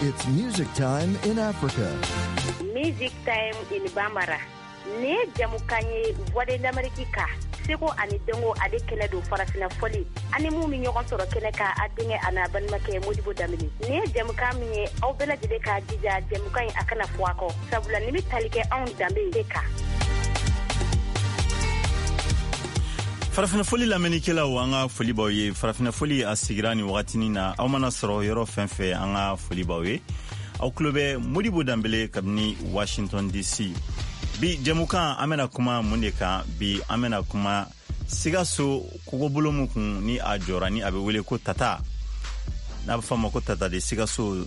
It's music time in Africa. Music Time in Bambara. Nin ye jamukan ye Voix de l'Amérique kan seko ani dɔnko ale kɛnɛ don farafina fɔli ani mun bɛ ɲɔgɔn sɔrɔ kɛnɛ kan a denkɛ a n'a balimakɛ Modibo Danbele nin ye jamukan min ye aw bɛɛ lajɛlen k'a jija jamukan in a kana fɔ a kɔ sabula nin bɛ tali kɛ anw danbe de kan. Farafinna foli lamɛnnikɛlaw, an ka foli b'aw ye. Farafinna foli a sigira nin wagatinin na, aw mana sɔrɔ yɔrɔ fɛn fɛn, an ka foli b'aw ye. Aw tulo bɛ Modibo Danbele kabini Washington DC. Bi jɛmukan, an bɛna kuma mun de kan bi? An bɛna kuma Sikaso kogobolo min kun ni a jɔra, ni a bɛ wele ko Tata, n'a bɛ fɔ a ma ko Tata de Sikaso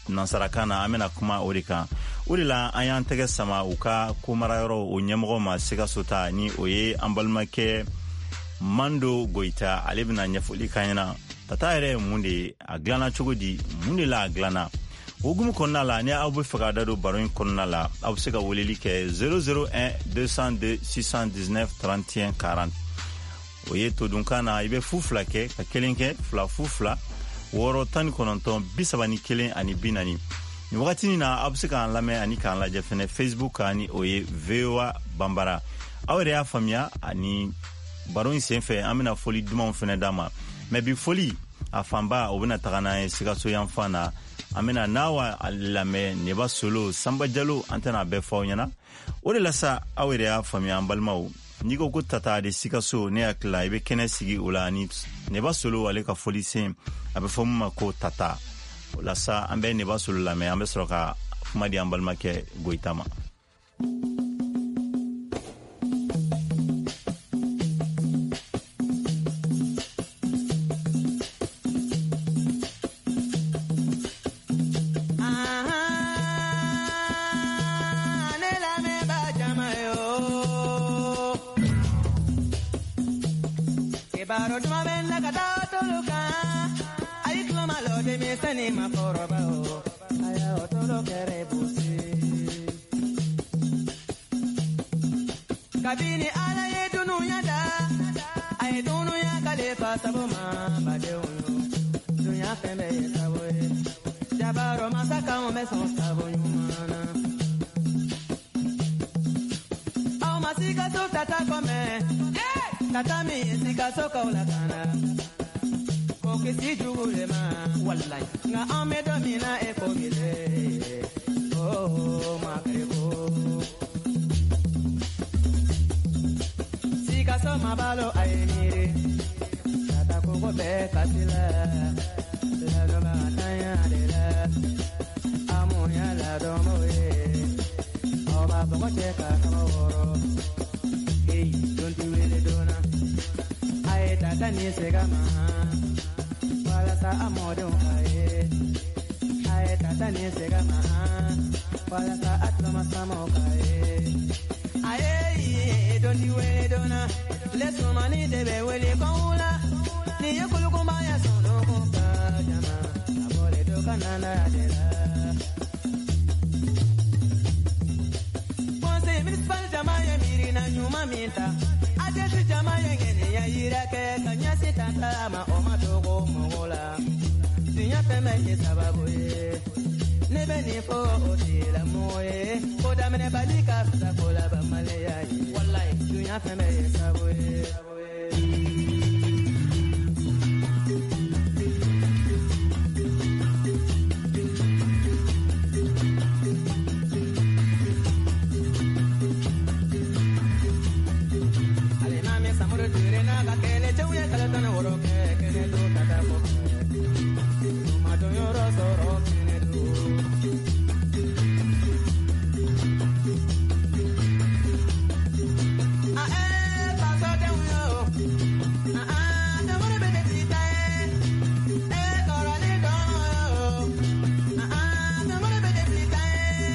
nansarakan na, an bɛna kuma o de kan. O de la an y'an tɛgɛ sama u ka komarayɔrɔ o ɲɛmɔgɔ ma Sikaso ta, ni o ye an balimakɛ Mando Goyita. Ale bɛna ɲɛfɔli k'an ɲɛna Tata yɛrɛ ye mun de ye, a dilanna cogo di, mun de la a dilanna. O hukumu kɔnɔna la, ni aw bɛ fɛ ka da don baro in kɔnɔna la, aw bɛ se ka weleli kɛ 001 202 619 31 40. O ye todunkan na, i bɛ fu fila kɛ ka kelen kɛ 2 0 2 6 19 31 ani 40. Nin wagatinin na, aw bɛ se k'an lamɛn ani k'an lajɛ fɛnɛ Facebook kan, ni o ye VOA Banbara. Aw yɛrɛ y'a faamuya, ani baro in senfɛ an bɛna foli dumanw fɛnɛ d'a ma. Mɛ bi foli a fanba, o bɛna taga n'an ye Sikaso yanfan na. An bɛna Nawa lamɛn, Neba Solo, Sanba Jalo, an tɛna a bɛɛ fɔ aw ɲɛna. O de la sa, aw yɛrɛ y'a faamuya, an balimaw, n'i ko ko Tata de Sikaso, ne hakili la i bɛ kɛnɛ sigi o la ni Neba Solo ale ka foli sen, a bɛ fɔ min ma ko Tata. O la sa, an bɛ Neba Solo lamɛn, an bɛ sɔrɔ ka kuma di an balimakɛ Goyita ma. Kabini Ala ye dunuya da, a ye dunuya kalifa sabu ma badenw yo. Dunuya fɛn bɛɛ ye sabu ye. Jabaro masakaw bɛ sɔn sabu ɲuman na. Aw ma Sikaso tata kɔmɛ, tata min ye Sikasokaw lakana. Ko kisi jugu le ma, walayi. Nka an bɛ don min na e ko bi le, oh makari ko. Sikaso ma balo a ye miiri, tata kogo bɛɛ kasi la, ladonbagatanya de la, amuya ladɔnbɔ ye, aw b'a bɔgɔ cɛ ka kaba wɔrɔ, heyi don ti wele donna, a ye tata ni sega ma, walasa a mɔdenw ka ye, a ye tata ni sega ma, walasa a tulomasamaw ka ye. Aye, don ti wele donna, lesumani de bɛ wele kɔnwula, ni ye kulukunba ya sɔnɔ ka jama, a bɔlen do ka nana de la. Conseil municipal jama ye miirina ɲuman min ta, ADS jama ye ŋaniya yira kɛ ka ɲɛsin tata ma, o ma dogo mɔgɔ la. Diɲɛ fɛn bɛɛ ye sababu ye. Ne bɛ nin fɔ o tigilamɔgɔ ye, ko daminɛbali ka fisa ko labanmaliya ye. Walayi, dunuya fɛn bɛɛ ye sabu ye. Alimami Samuru Ture n'a ka kɛlɛcɛw ye kalo 16 kɛ kɛnɛ don tata kɔfɛ. U ma donyɔrɔ sɔrɔ kɛnɛ don. A fasodenw yo, a jamana bɛ kɛ sita ye, e kɔrɔlen dɔn yo, a jamana bɛ kɛ sita ye.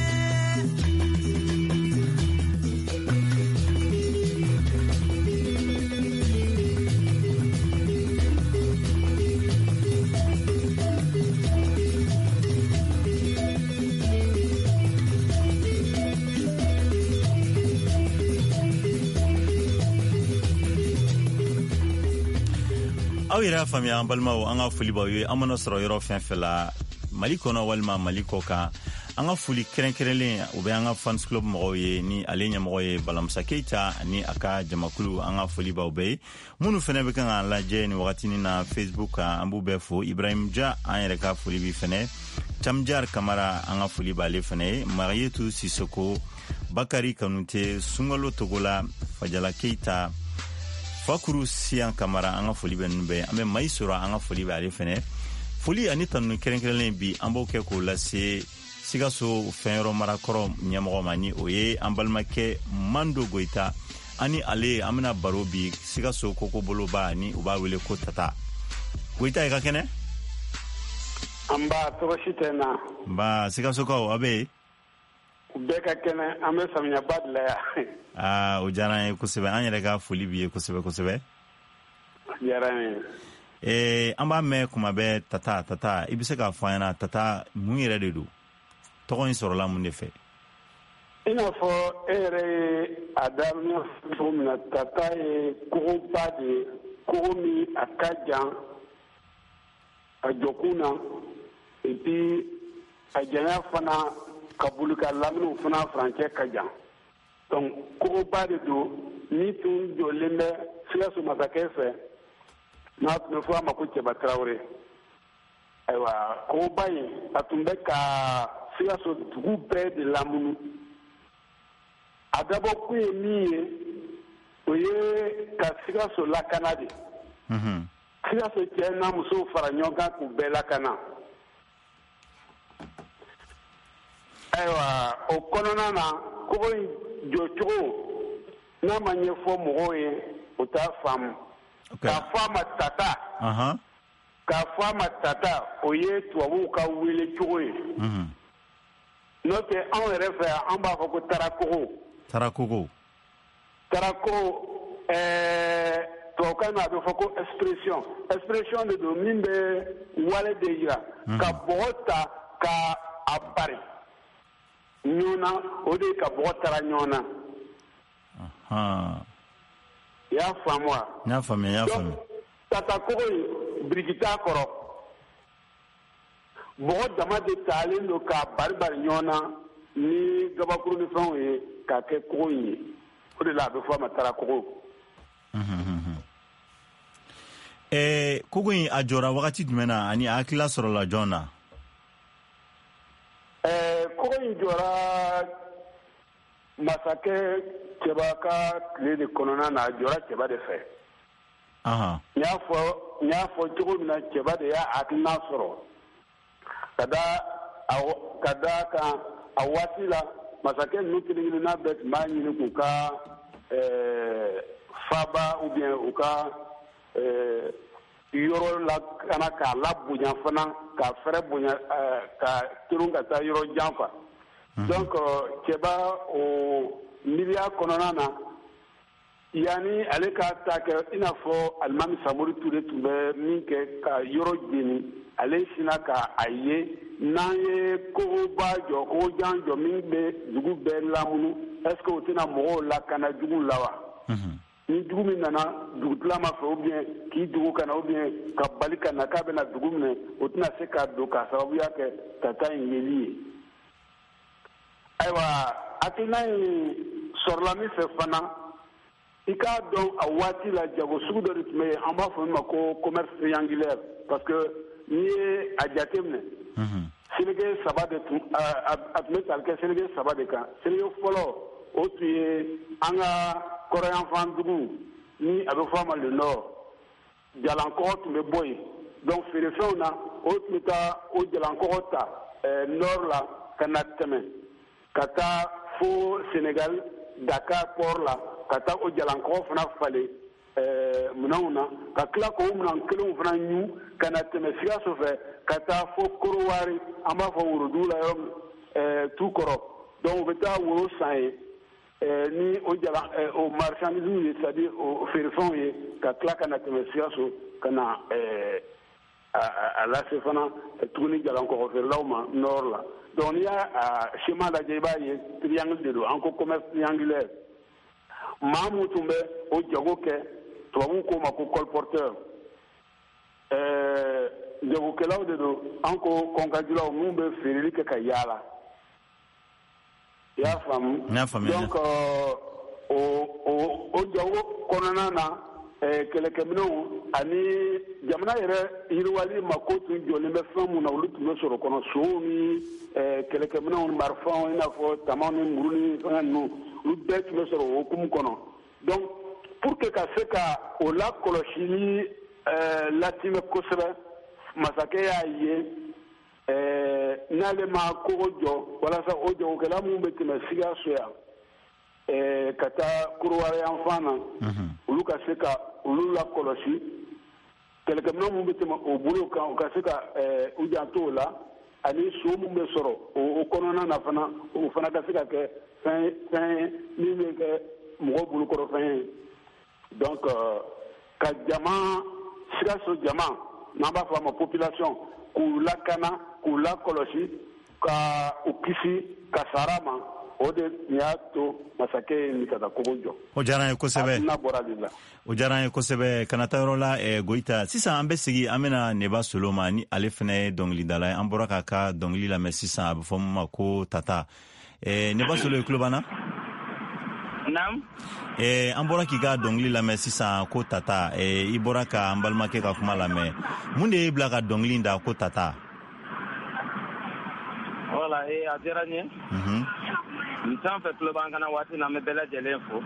Aw yɛrɛ y'a faamuya, an balimaw, an ka foli b'aw ye. An mana sɔrɔ yɔrɔ fɛn fɛn la, Mali kɔnɔ walima Mali kɔ kan. An ka foli kɛrɛnkɛrɛnlen, o bɛ an ka fans club mɔgɔw ye, ni ale ɲɛmɔgɔ ye Balamusa Keyita ani a ka jamakulu. An ka foli b'aw bɛɛ ye. Minnu fɛnɛ bɛ kan k'an lajɛ nin wagatinin na Facebook kan, an b'u bɛɛ fo. Ibrahim Ja, an yɛrɛ ka foli b'i fɛnɛ. Camjar Kamara, an ka foli b'ale fɛnɛ ye. Marietu Sisoko, Bakari Kanute, Sungalo Togola, Fajala Keita, Fakuru Siyan Kamara, an ka foli bɛ ninnu bɛɛ. An bɛ Mayi sɔrɔ, an ka foli bɛ ale fɛnɛ. Foli ani tanuni kɛrɛnkɛrɛnlen bi, an b'o kɛ k'o lase Sikaso fɛnyɔrɔ marakɔrɔ ɲɛmɔgɔ ma, ni o ye an balimakɛ Mando Goyita. Ani ale an bɛna baro bi Sikaso kokoboloba, ni u b'a wele ko Tata. Goyita, i ka kɛnɛ? Nba, tɔɔrɔ si tɛ n na. Nba, Sikasokaw, aw bɛ yen? U bɛɛ ka kɛnɛ, an bɛ samiyaba de la yan. Aa, o diyara an ye kosɛbɛ. An yɛrɛ ka foli b'i ye kosɛbɛ kosɛbɛ. A diyara an ye. An b'a mɛn kuma bɛɛ, Tata, Tata. I bɛ se k'a fɔ an ɲɛna, Tata mun yɛrɛ de don? Tɔgɔ in sɔrɔla mun de fɛ? I n'a fɔ e yɛrɛ ye a daminɛ cogo min na, Tata ye kogoba de ye, kogo min a ka jan a jɔkun na, et puis a janya fana ka boli ka lamini fana furancɛ ka jan. Donc kogoba de don min tun jɔlen bɛ Sikaso masakɛ fɛ, n'a tun bɛ fɔ a ma ko Cɛba Tarawele. Ayiwa, kogoba in, a tun bɛ ka Sikaso dugu bɛɛ de lamunu. A dabɔkun ye min ye, o ye ka Sikaso lakana de. Sikaso cɛ n'a musow fara ɲɔgɔn kan k'u bɛɛ lakana. Ayiwa, o kɔnɔna na, kogo in jɔcogo n'a ma ɲɛfɔ mɔgɔw ye, o t'a faamu. K'a fɔ a ma Tata, k'a fɔ a ma Tata, o ye tubabuw ka wele cogo ye. N'o tɛ, anw yɛrɛ fɛ yan, an b'a fɔ ko Tarakogo. Tarakogo. Tarakogo, tubabukan na, a bɛ fɔ ko expression. Expression de don min bɛ wale de yira. Ka bɔgɔ ta ka a bari ɲɔgɔn na, o de ye ka bɔgɔ tara ɲɔgɔn na. I y'a faamu wa? N y'a faamuya, n y'a faamuya. Tata kogo in, biriki t'a kɔrɔ. Bɔgɔ dama de talen don k'a bari bari ɲɔgɔn na ni gabakuru ni fɛnw ye k'a kɛ kogo in ye. O de la a bɛ fɔ a ma Tarakogo. Kogo in, a jɔra wagati jumɛn na, ani a hakilila sɔrɔla jɔn na? Kogo in jɔra masakɛ Cɛba ka tile de kɔnɔna na. A jɔra Cɛba de fɛ. N y'a fɔ cogo min na, Cɛba de y'a hakilina sɔrɔ ka da kan. A waati la, masakɛ ninnu kelen kelenna bɛɛ tun b'a ɲini k'u ka faba ou bien u ka yɔrɔ lakana, k'a labonya fana, k'a fɛrɛ bonya, ka terun ka taa yɔrɔ jan quoi. Donc Cɛba, o miiriya kɔnɔna na, yanni ale ka ta kɛ i n'a fɔ Alimami Samori Ture tun bɛ min kɛ ka yɔrɔ jeni, ale sinna ka a ye n'an ye kogoba jɔ, kogojan jɔ min bɛ dugu bɛɛ lamunu, est ce que o tɛna mɔgɔw lakana juguw la wa? Ni jugu min nana dugutilama fɛ, ou bien k'i dugu ka na, ou bien ka bali ka na k'a bɛna dugu minɛ, o tɛna se ka don k'a sababuya kɛ Tata in yeli ye. Ayiwa, hakilina in sɔrɔla min fɛ fana, i k'a dɔn, a waati la, jago sugu dɔ de tun bɛ yen, an b'a fɔ min ma ko commerce triangulaire, parce que n'i ye a jate minɛ, seleke saba de tun a tun bɛ tali kɛ seleke saba de kan. Seleke fɔlɔ, o tun ye an ka kɔrɔyanfan dugu, ni a bɛ fɔ a ma le nord. Jalankɔgɔ tun bɛ bɔ yen. Donc feerefɛnw na, o tun bɛ taa o jalankɔgɔ ta nord la ka na tɛmɛ ka taa fo Sénégal, Dakar port la, ka taa o jalankɔgɔ fana falen minɛnw na, ka tila k'o minɛn kelenw fana ɲu ka na tɛmɛ Sikaso fɛ ka taa fo Korowari, an b'a fɔ worodugu la yɔrɔ min, tu kɔrɔ. Donc u bɛ taa woro san yen ni o jala o marchandise ye, c'est à dire o feerefɛnw ye, ka tila ka na tɛmɛ Sikaso ka na a lase fana tuguni jalankɔgɔ feerelaw ma nord la. Donc n'i y'a schéma lajɛ, i b'a ye triangle de don. An ko commerce triangulaire. Maa mun tun bɛ o jago kɛ, tubabuw k'o ma ko colporteur. Jagokɛlaw de don, an ko kɔnkajulaw, minnu bɛ feereli kɛ ka yaala. I y'a faamu? N y'a faamuya. Donc o jago kɔnɔna na, kɛlɛkɛminɛnw ani jamana yɛrɛ yiriwali mako tun jɔlen bɛ fɛn mun na, olu tun bɛ sɔrɔ kɔnɔ: sow ni kɛlɛkɛminɛnw ni marifaw, i n'a fɔ tamaw ni muru ni fɛngɛ ninnu, olu bɛɛ tun bɛ sɔrɔ o hukumu kɔnɔ. Donc pour que ka se ka o lakɔlɔsili latimɛ kosɛbɛ, masakɛ y'a ye n'ale ma kogo jɔ walasa o jagokɛla minnu bɛ tɛmɛ Sikaso yan ka taa Korowari yan fan na, olu ka se ka olu lakɔlɔsi, kɛlɛkɛminɛn minnu bɛ tɛmɛ o bolo kan, u ka se ka u janto o la, ani so min bɛ sɔrɔ o kɔnɔna na fana, o fana ka se ka kɛ fɛn ye min bɛ kɛ mɔgɔw bolokɔrɔ fɛn ye. Donc ka jama, Sikaso jama, n'an b'a fɔ a ma population, k'u lakana, k'u lakɔlɔsi, ka u kisi kasara ma, o de y'a to masakɛ ye nin ka kogo jɔ. O diyara n ye kosɛbɛ. Hakilina bɔra de la. O diyara n ye kosɛbɛ. Kana taa yɔrɔ la, Goyita. Sisan an bɛ sigi, an bɛna Neba Solo ma, ni ale fana ye dɔnkilidala ye. An bɔra k'a ka dɔnkili lamɛn sisan, a bɛ fɔ min ma ko Tata. Neba Solo, i tulo b'an na? Naam. An bɔra k'i ka dɔnkili lamɛn sisan ko Tata. I bɔra ka an balimakɛ ka kuma lamɛn. Mun de y'i bila ka dɔnkili da ko Tata? Voilà, a diyara n ye. N fɛn fɛn tulo b'an kana waati na, an bɛ bɛɛ lajɛlen fo.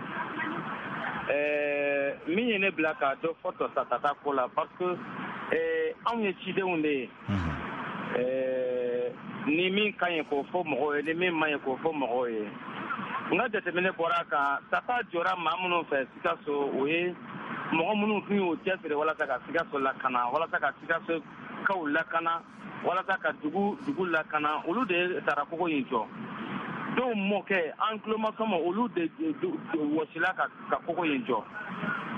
Min ye ne bila ka dɔ fɔ Tata ko la, parce que anw ye cidenw de ye. Ni min ka ɲi, k'o fɔ mɔgɔw ye, ni min man ɲi, k'o fɔ mɔgɔw ye. N ka jateminɛ bɔra a kan, Tata jɔra maa minnu fɛ Sikaso, o ye mɔgɔ minnu tun y'u cɛsiri walasa ka Sikaso lakana, walasa ka Sikasokaw lakana, walasa ka dugu lakana, olu de ye Tara kogo in jɔ. Dɔw mɔkɛ, an tulomasɔmɔ, olu de wɔsila ka kogo in jɔ.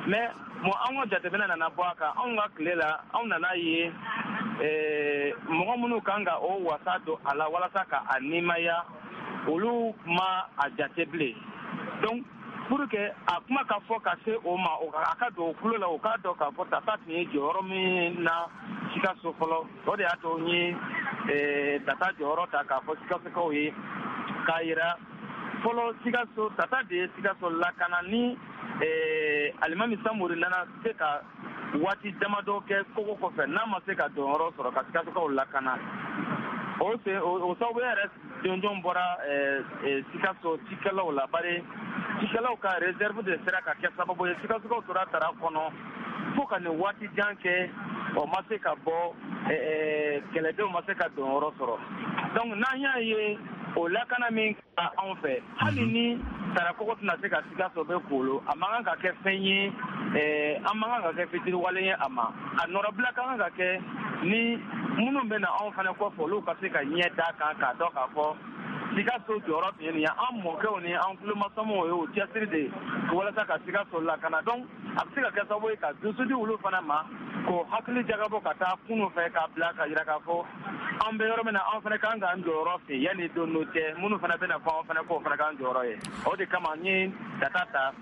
Mais bon, an ka jateminɛ nana bɔ a kan, anw ka tile la, anw nana ye mɔgɔ minnu kan ka o wasa don a la walasa ka a nimaya, olu ma a jate bilen. Donc pour que a kuma ka fɔ ka se o ma, a ka don o tulo la, o k'a dɔn k'a fɔ Tata tun ye jɔyɔrɔ min na Sikaso fɔlɔ, o de y'a to n ye Tata jɔyɔrɔ ta k'a fɔ Sikasokaw ye, k'a yira fɔlɔ Sikaso, Tata de ye Sikaso lakana. Ni Alimami Samori nana se ka waati damadɔ kɛ kogo kɔfɛ, n'a ma se ka donyɔrɔ sɔrɔ ka Sikasokaw lakana, o sababuya yɛrɛ jɔnjɔn bɔra Sikaso cikɛlaw la, bari cikɛlaw ka réserve de sera ka kɛ sababu ye Sikasokaw tora Tara kɔnɔ fo ka nin waati jan kɛ, o ma se ka bɔ, kɛlɛdenw ma se ka donyɔrɔ sɔrɔ. Donc n'an y'a ye o lakana min kɛra anw fɛ, hali ni Tara kogo tɛna se ka Sikaso bɛ kolo, a man kan ka kɛ fɛn ye, an man kan ka kɛ fitiriwale ye a ma. A nɔrɔbila ka kan ka kɛ ni minnu bɛ na anw fana kɔfɛ, olu ka se ka ɲɛ d'a kan k'a dɔn k'a fɔ Sikaso jɔyɔrɔ tun ye nin ye. An mɔkɛw ni an tulomasamaw ye o cɛsiri de walasa ka Sikaso lakana. Donc a bɛ se ka kɛ sababu ye ka dusu di olu fana ma, k'o hakili jagabɔ ka taa kunun fɛ, k'a bila ka jira k'a fɔ an bɛ yɔrɔ min na, an fana kan k'an jɔyɔrɔ fɛ yanni don dɔ cɛ, minnu fana bɛna fɔ an fana k'o fana k'an jɔyɔrɔ ye. O de kama n ye Tata ta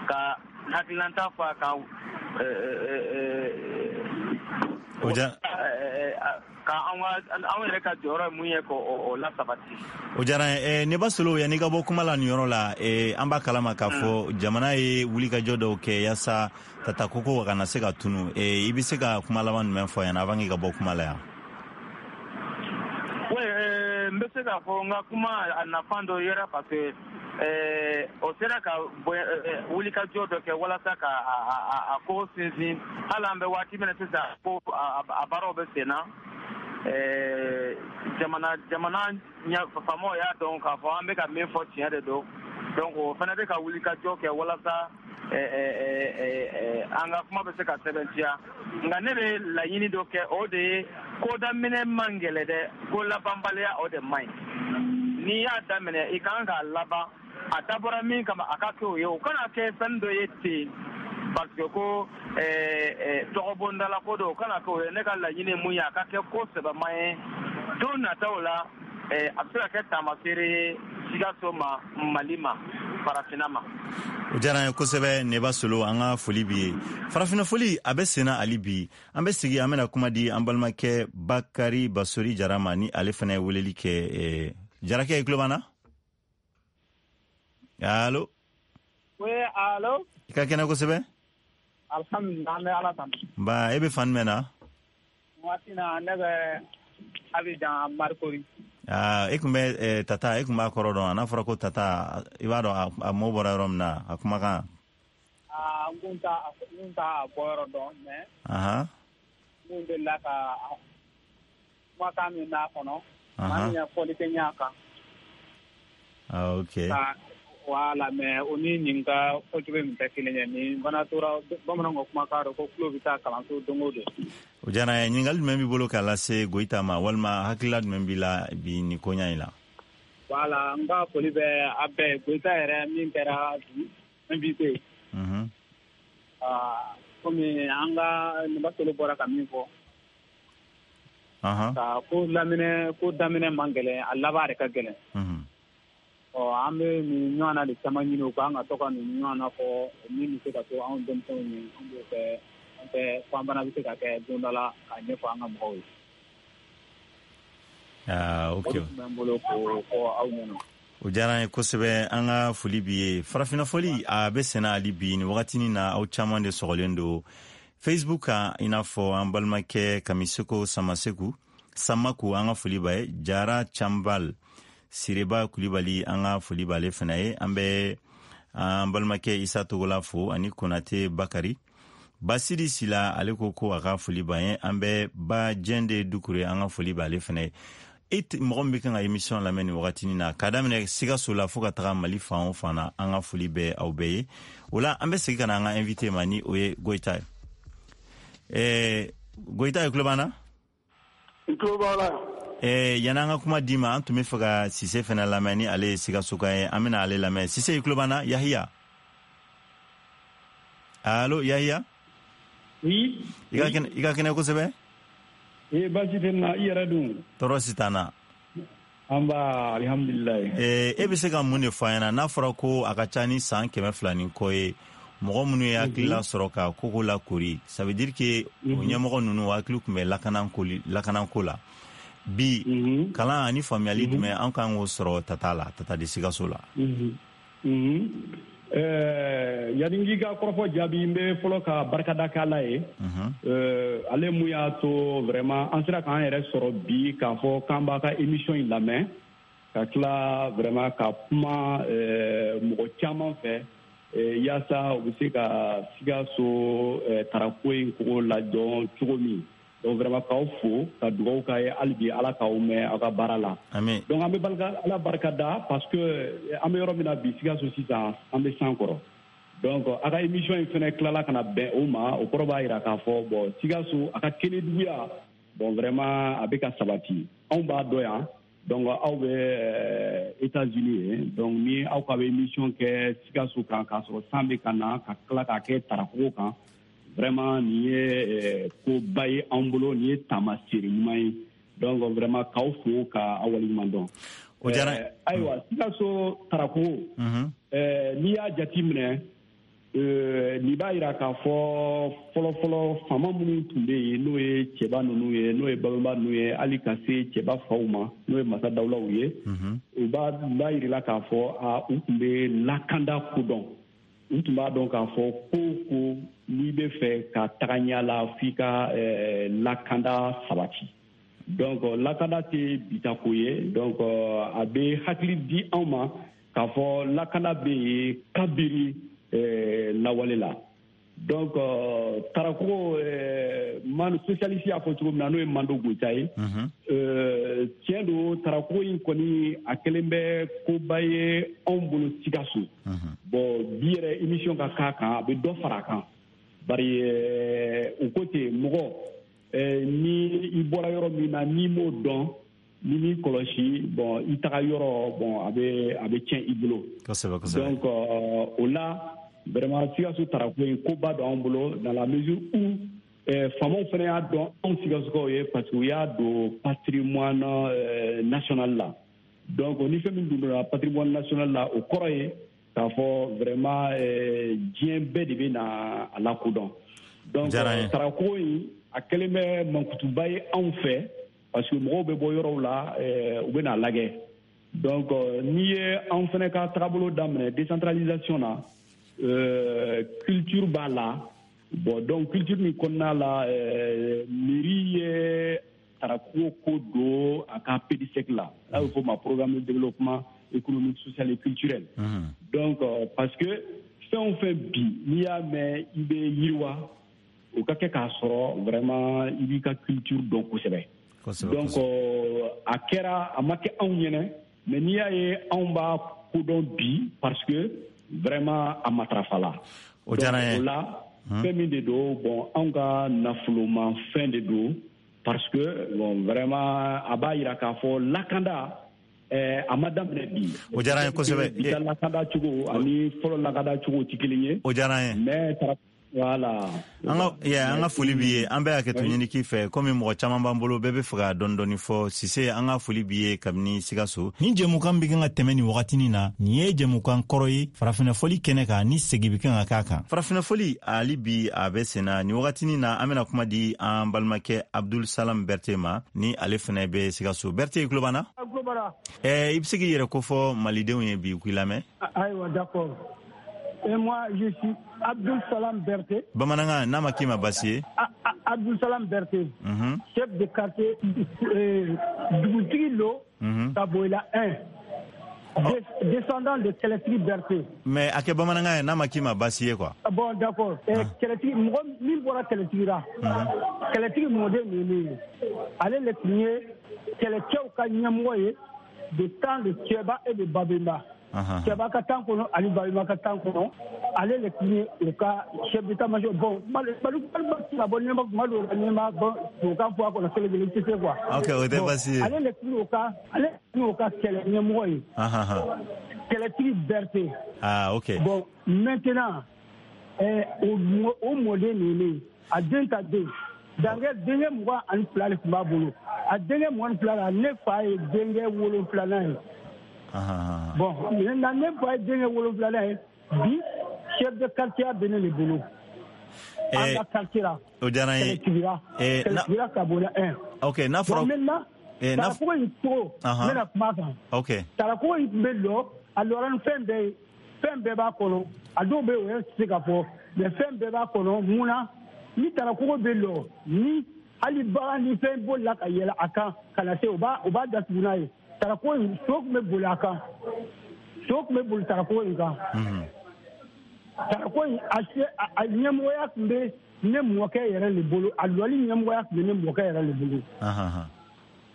ka hakilinata fɔ a kan, ka anw yɛrɛ ka jɔyɔrɔ ye mun ye, k'o lasabati. O diyara n ye. Neba Solo, yanni i ka bɔ kuma la nin yɔrɔ la, an b'a kalama k'a fɔ jamana ye wulikajɔ dɔw kɛ yaasa Tata koko kana se ka tunu. I bɛ se ka kuma laban jumɛn fɔ yan avant k'i ka bɔ kuma la yan? Oui, n bɛ se k'a fɔ n ka kuma a nafa dɔ yera, parce que o sera ka wulikajɔ dɔ kɛ walasa ka a ko sinsin. Hali an bɛ waati min na sisan, ko a baaraw bɛ sen na. Jamana faamaw y'a dɔn k'a fɔ an bɛ ka min fɔ tiɲɛ de don. Donc o fana bɛ ka wulikajɔ kɛ walasa an ka kuma bɛ se ka sɛbɛntiya. Nka ne bɛ laɲini dɔ kɛ, o de ye ko daminɛ man gɛlɛ dɛ, ko labanbaliya o de man ɲi. N'i y'a daminɛ, i kan k'a laban. A dabɔra min kama, a ka kɛ o ye, o kana kɛ fɛn dɔ ye ten parce que ko tɔgɔbondala ko don, o kana kɛ o ye. Ne ka laɲini mun ye, a ka kɛ ko sɛbɛma ye don nataw la, a bɛ se ka kɛ taamaseere ye Sikaso ma, Mali ma. farafinna ma. O diyara an ye kosɛbɛ, Neba Solo, an ka foli b'i ye. Farafinna foli a bɛ senna hali bi. An bɛ sigi, an bɛna kuma di an balimakɛ Bakari Basori Jara ma, ni ale fana ye weleli kɛ. Jarakɛ, i tulo b'an na? Allo? Oui, allo? I ka kɛnɛ kosɛbɛ. Alhamdulillah, an bɛ Ala tanu. Nba, e bɛ fan jumɛn na? Waati na, ne bɛ Abidjan, Marcory. Aa, e kun bɛ tata, e kun b'a kɔrɔ dɔn? N'a fɔra ko tata, i b'a dɔn a mɔ bɔra yɔrɔ min na, a kumakan? Aa, n kun t'a bɔyɔrɔ dɔn, mais n kun delila ka kumakan min b'a kɔnɔ, maa min ye fɔli kɛ ɲa kan. Ah, ok. Ka wala, mais o ni nin ka fɔcogo min tɛ kelen ye. Nin fana tora bamananw ka kumakan dɔ ko tulo bɛ taa kalanso don o don. O diyara n ye. Ɲininkali jumɛn b'i bolo k'a lase Goyita ma, walima hakilila jumɛn b'i la bi nin koɲa in la? Wala, n ka foli bɛ a bɛɛ ye. Goyita yɛrɛ min kɛra bi invité, aa, komi an ka Neba Solo bɔra ka min fɔ, ka ko laminɛ, ko daminɛ man gɛlɛn, a laban de ka gɛlɛn. Ɔ, an bɛ nin ɲɔgɔn na de caman ɲini u kan ka to ka nin ɲɔgɔn na fɔ min bɛ se ka to anw denmisɛnw ye, an b'o kɛ, an tɛ fo an fana bɛ se ka kɛ don dɔ la k'a ɲɛfɔ an ka mɔgɔw ye. Ah, ok. O de tun bɛ n bolo k'o fɔ aw ɲɛna. O diyara an ye kosɛbɛ, an ka foli b'i ye. Farafinna foli a bɛ senna hali bi nin wagatinin na. Aw caman de sɔgɔlen don Facebook kan, i n'a fɔ an balimakɛ Kamiseko Samaseku Samaku, an ka foli b'a ye. Jara Canbal Sireba Kulibali, an ka foli b'ale fana ye. An bɛ an balimakɛ Isa Togola fo, ani Konate Bakari Basiri Sila, ale ko ko a ka foli b'an ye. An bɛ Ba Jɛnde Dukure, an ka foli b'ale fana ye. E mɔgɔ min bɛ kan ka émission lamɛn nin wagatinin na, k'a daminɛ Sikaso la fo ka taga Mali fan o fan na, an ka foli bɛ aw bɛɛ ye. O la, an bɛ segin ka na an ka invité ma, ni o ye Goyita ye. Goyita ye, tulo b'an na? N tulo b'aw la. Yanni an ka kuma d'i ma, an tun bɛ fɛ ka Sise fana lamɛn, ni ale ye Sikasoka ye. An bɛna ale lamɛn. Sise, i tulo b'an na? Yahiya, allo, Yahiya? Oui. I ka kɛnɛ kosɛbɛ. Eh, baasi tɛ n na, i yɛrɛ dun? Tɔɔrɔ si t'an na. An ba, alihamudulilayi. E bɛ se ka mun de fɔ an ɲɛna, n'a fɔra ko a ka ca ni san 200 ni kɔ ye, mɔgɔ minnu ye hakilila sɔrɔ ka koko lakori, ça veut dire que o ɲɛmɔgɔ ninnu hakili tun bɛ lakanako la. Bi, kalan ani faamuyali jumɛn an kan k'o sɔrɔ tata la, tata de Sikaso la? Yanni n k'i ka kɔrɔfɔ jaabi, n bɛ fɔlɔ ka barikada kɛ Ala ye. Ale mun y'a to vraiment an sera k'an yɛrɛ sɔrɔ bi k'a fɔ k'an b'a ka émission in lamɛn, ka tila vraiment ka kuma mɔgɔ caman fɛ, yaasa u bɛ se ka Sikaso tarako in kogo ladɔn cogo min. Donc vraiment k'aw fo, ka dugawu k'a ye hali bi, Ala k'aw mɛn aw ka baara la. Amin. Donc an bɛ Ala barika da, parce que an bɛ yɔrɔ min na bi Sikaso sisan, an bɛ san kɔrɔ. Donc a ka émission in fɛnɛ tilala ka na bɛn o ma, o kɔrɔ b'a jira k'a fɔ bon, Sikaso a ka kɛnɛduguya, bon, vraiment a bɛ ka sabati. Anw b'a dɔn yan, donc aw bɛ États-Unis ye. Donc ni aw ka bɛ émission kɛ Sikaso kan k'a sɔrɔ san bɛ ka na, ka tila k'a kɛ tarakogo kan, vraiment nin ye koba ye anw bolo, nin ye taamaseere ɲuman ye. Donc vraiment k'aw fo, ka aw waleɲuman dɔn. O diyara. Ayiwa, Sikaso tarakogo, n'i y'a jate minɛ, nin b'a jira k'a fɔ fɔlɔfɔlɔ faama minnu tun bɛ yen, n'o ye cɛba ninnu ye, n'o ye babɛnba ninnu ye, hali ka se cɛba faw ma, n'o ye masa dawulaw ye, u b'a yirila k'a fɔ a u tun bɛ lakanda kodɔn. U tun b'a dɔn k'a fɔ ko o ko n'i bɛ fɛ ka taga ɲɛ la, f'i ka lakanda sabati. Donc lakanda tɛ bita ko ye. Donc a bɛ hakili di anw ma k'a fɔ lakanda bɛ yen kabiri lawale la. Donc tarakogo man socialiste y'a fɔ cogo min na, n'o ye Mando Goyita ye, tiɲɛ don, tarakogo in kɔni a kɛlen bɛ koba ye anw bolo Sikaso. Bon, bi yɛrɛ émission ka k'a kan, a bɛ dɔ fara a kan, bari u ko ten, mɔgɔ ni i bɔra yɔrɔ min na, n'i m'o dɔn, n'i m'i kɔlɔsi, bon, i taga yɔrɔ, bon, a bɛ tiɲɛ i bolo. kosɛbɛ kosɛbɛ Donc o la vraiment Sikaso tarako in koba don anw bolo, dans la mesure où faamaw fana y'a dɔn anw Sikasokaw ye, parce que u y'a don patrimoine national la. Donc ni fɛn min dun donna patrimoine national la, o kɔrɔ ye K'a fɔ vraiment diɲɛ bɛɛ de bɛ na a lakodɔn. Donc tarakogo in, a kɛlen bɛ mankutuba ye anw fɛ, parce que mɔgɔw bɛ bɔ yɔrɔw la, u bɛ n'a lajɛ. Donc n'i ye anw fana ka tagabolo daminɛ décentralisation na, culture b'a la. Bon, donc culture nin kɔnɔna la, mairie ye tarakogo ko don a ka PDSEC la, n'a bɛ fɔ o ma programme de développement économique, social et culturel. Donc parce que fɛn o fɛn bi, n'i y'a mɛn i bɛ yiriwa, o ka kɛ k'a sɔrɔ vraiment i b'i ka culture dɔn kosɛbɛ. Donc a kɛra, a ma kɛ anw ɲɛnɛ, mais n'i y'a ye anw b'a kodɔn bi, parce que vraiment a matarafa la. O diyara n ye. O la, fɛn min de don, bon, anw ka nafolomafɛn de don, parce que bon, vraiment a b'a yira k'a fɔ lakanda a ma daminɛ bi. O diyara n ye kosɛbɛ. Bi ta lakanda cogo ani fɔlɔ lakanda cogo tɛ kelen ye. O diyara n ye. Mais voilà. An ka foli b'i ye. An bɛ hakɛto ɲini k'i fɛ, komi mɔgɔ caman b'an bolo, bɛɛ bɛ fɛ ka dɔɔni dɔɔni fɔ. Sise, an ka foli b'i ye kabini Sikaso. Nin jɛmukan bɛ kan ka tɛmɛ nin wagatinin na, nin ye jɛmukan kɔrɔ ye farafinna fɔli kɛnɛ kan, ni segin bɛ kan ka k'a kan. Farafinna fɔli hali bi a bɛ sen na nin wagatinin na. An bɛna kuma di an balimakɛ Abdul Salam Berte ma, ni ale fana bɛ Sikaso. Berte, i tulo b'an na? I bɛ se k'i yɛrɛ kofɔ malidenw ye bi, k'i lamɛn. Ayiwa, d'accord. Et moi, je suis Abdul Salam Berté. Bamanankan, n'a ma k'i ma baasi ye. Abdul Salam Berté, chef de quartier Dugutigi Lo, Kaboila 1. Descendant de Kɛlɛtigi Berté. Mais a kɛ bamanankan ye, n'a ma k'i ma baasi ye quoi. Bon, d'accord. Kɛlɛtigi, mɔgɔ min bɔra kɛlɛtigi la, kɛlɛtigi mɔden ninnu ye. Ale le tun ye kɛlɛcɛw ka ɲɛmɔgɔ ye de temps de Cɛba et de Babemba. Cɛba ka temps kɔnɔ ani Babemba ka temps kɔnɔ, ale le tun ye u ka chef d'état-major. Bon, Mali ka bɔ ɲɛma kuma dɔw la, ɲɛma bɔ tubabukan fɔ a kɔnɔ kelen kelen tɛ se quoi. Ok, o tɛ baasi ye. Ale le tun y'o ka, ale tun y'o ka kɛlɛ ɲɛmɔgɔ ye. Kɛlɛtigi Berté. Ah, ok. Bon, maintenant, o mɔden ninnu, a den ta den. Dankɛ denkɛ 22 de tun b'a bolo. A denkɛ 22 la, ne fa ye denkɛ wolonfilanan ye. Bon, maintenant ne fa ye denkɛ wolonfilanan ye, bi chef de quartier bɛ ne de bolo. An ka quartier la. O diyara n ye. Kɛlɛtigira Kabola 1. Ok, n'a fɔra. Bon, maintenant, tarakogo in cogo, n bɛna kuma a kan. Ok. Tarakogo in tun bɛ lɔ, a lɔra ni fɛn bɛɛ ye. Fɛn bɛɛ b'a kɔnɔ. A dɔw bɛ yen, o yɛrɛ tɛ se ka fɔ. Mais fɛn bɛɛ b'a kɔnɔ, mun na? Ni tarakogo bɛ lɔ, ni hali bagan ni fɛn bolila ka yɛlɛ a kan ka na se, u b'a datugu n'a ye. Tarakogo in, so tun bɛ boli a kan. So tun bɛ boli tarakogo in kan. Tarakogo in, a ɲɛmɔgɔya tun bɛ ne mɔkɛ yɛrɛ de bolo. A lɔli ɲɛmɔgɔya tun bɛ ne mɔkɛ yɛrɛ de bolo.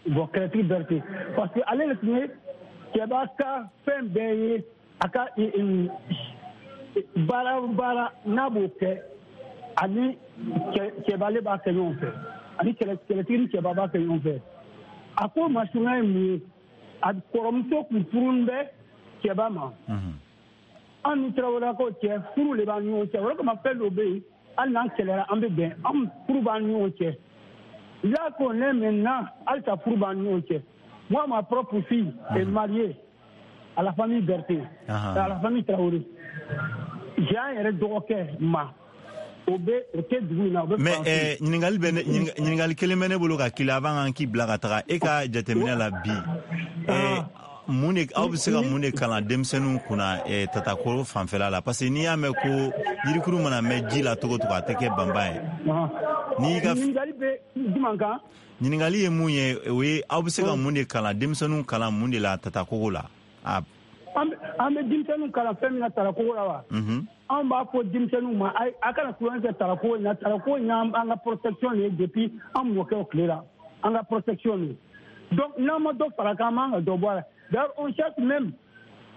Bon, Kɛlɛtigi Berté. Parce que ale de tun ye cɛba ka fɛn bɛɛ ye, a ka baara o baara n'a b'o kɛ, ani cɛba ale b'a kɛ ɲɔgɔn fɛ, ani kɛlɛtigi ni cɛba b'a kɛ ɲɔgɔn fɛ. A ko masurunya ye mun ye? A kɔrɔmuso tun furulen bɛ cɛba ma. An ni Tarawelelakaw cɛ, furu de b'an ni ɲɔgɔn cɛ. O de kama fɛn dɔw bɛ yen, hali n'an kɛlɛra, an bɛ bɛn, an furu b'an ni ɲɔgɔn cɛ. Là qu'on est maintenant, halisa furu b'an ni ɲɔgɔn cɛ. Moi, ma propre fille est mariée à la famille Berté, à la famille Traoré. J'ai un yɛrɛ dɔgɔkɛ ma. O bɛ o tɛ dugu in na, o bɛ. Mais ɲininkali bɛ ne, ɲininkali kelen bɛ ne bolo ka k'i la avant an k'i bila ka taga. E ka jateminɛ la bi, mun de aw bɛ se ka mun de kalan denmisɛnninw kunna tatakoro fanfɛla la? Parce que n'i y'a mɛn ko yirikuru mana mɛn ji la cogo o cogo, a tɛ kɛ banba ye. N'i ka ɲininkali bɛ jumɛn kan? Ɲininkali ye mun ye, o ye aw bɛ se ka mun de kalan denmisɛnninw kalan mun de la tatakogo la? An bɛ denmisɛnninw kalan fɛn min na tarakogo la wa? An b'a fɔ denmisɛnninw ma, a kana tulonkɛ kɛ tarakogo in na. Tarakogo in y'an ka protection de ye depuis an mɔkɛw tile la, an ka protection de ye. Donc n'an ma dɔ fara kan, an man ka dɔ bɔ a la. D'ailleurs, on cherche même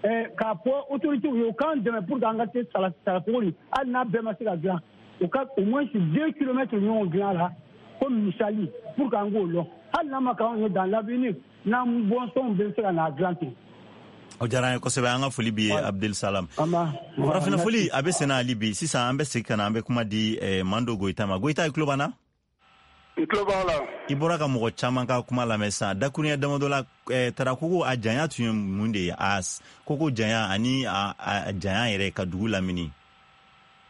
k'a fɔ autorités ye, u k'an dɛmɛ pour que an ka se tarakogo in, hali n'a bɛɛ ma se ka dilan, u ka au moins 2 kilomètres ɲɔgɔn dilan a la comme misali, pour que an k'o lɔn. Hali n'a ma k'anw ye dans l'avenir, n'an bɔnsɔnw bɛ se ka n'a dilan ten. O diyara an ye kosɛbɛ. An ka foli b'i ye, Abdul Salam. Farafinna foli a bɛ senna hali bi. Sisan an bɛ segin ka na, an bɛ kuma di Mando Goyita ma. Goyita, i tulo b'an na? N tulo b'aw la. I bɔra ka mɔgɔ caman ka kuma lamɛn sisan. Dakuruɲɛ damadɔ la, Tarakogo a janya tun ye mun de ye? A koko janya ani a janya yɛrɛ ka dugu lamini.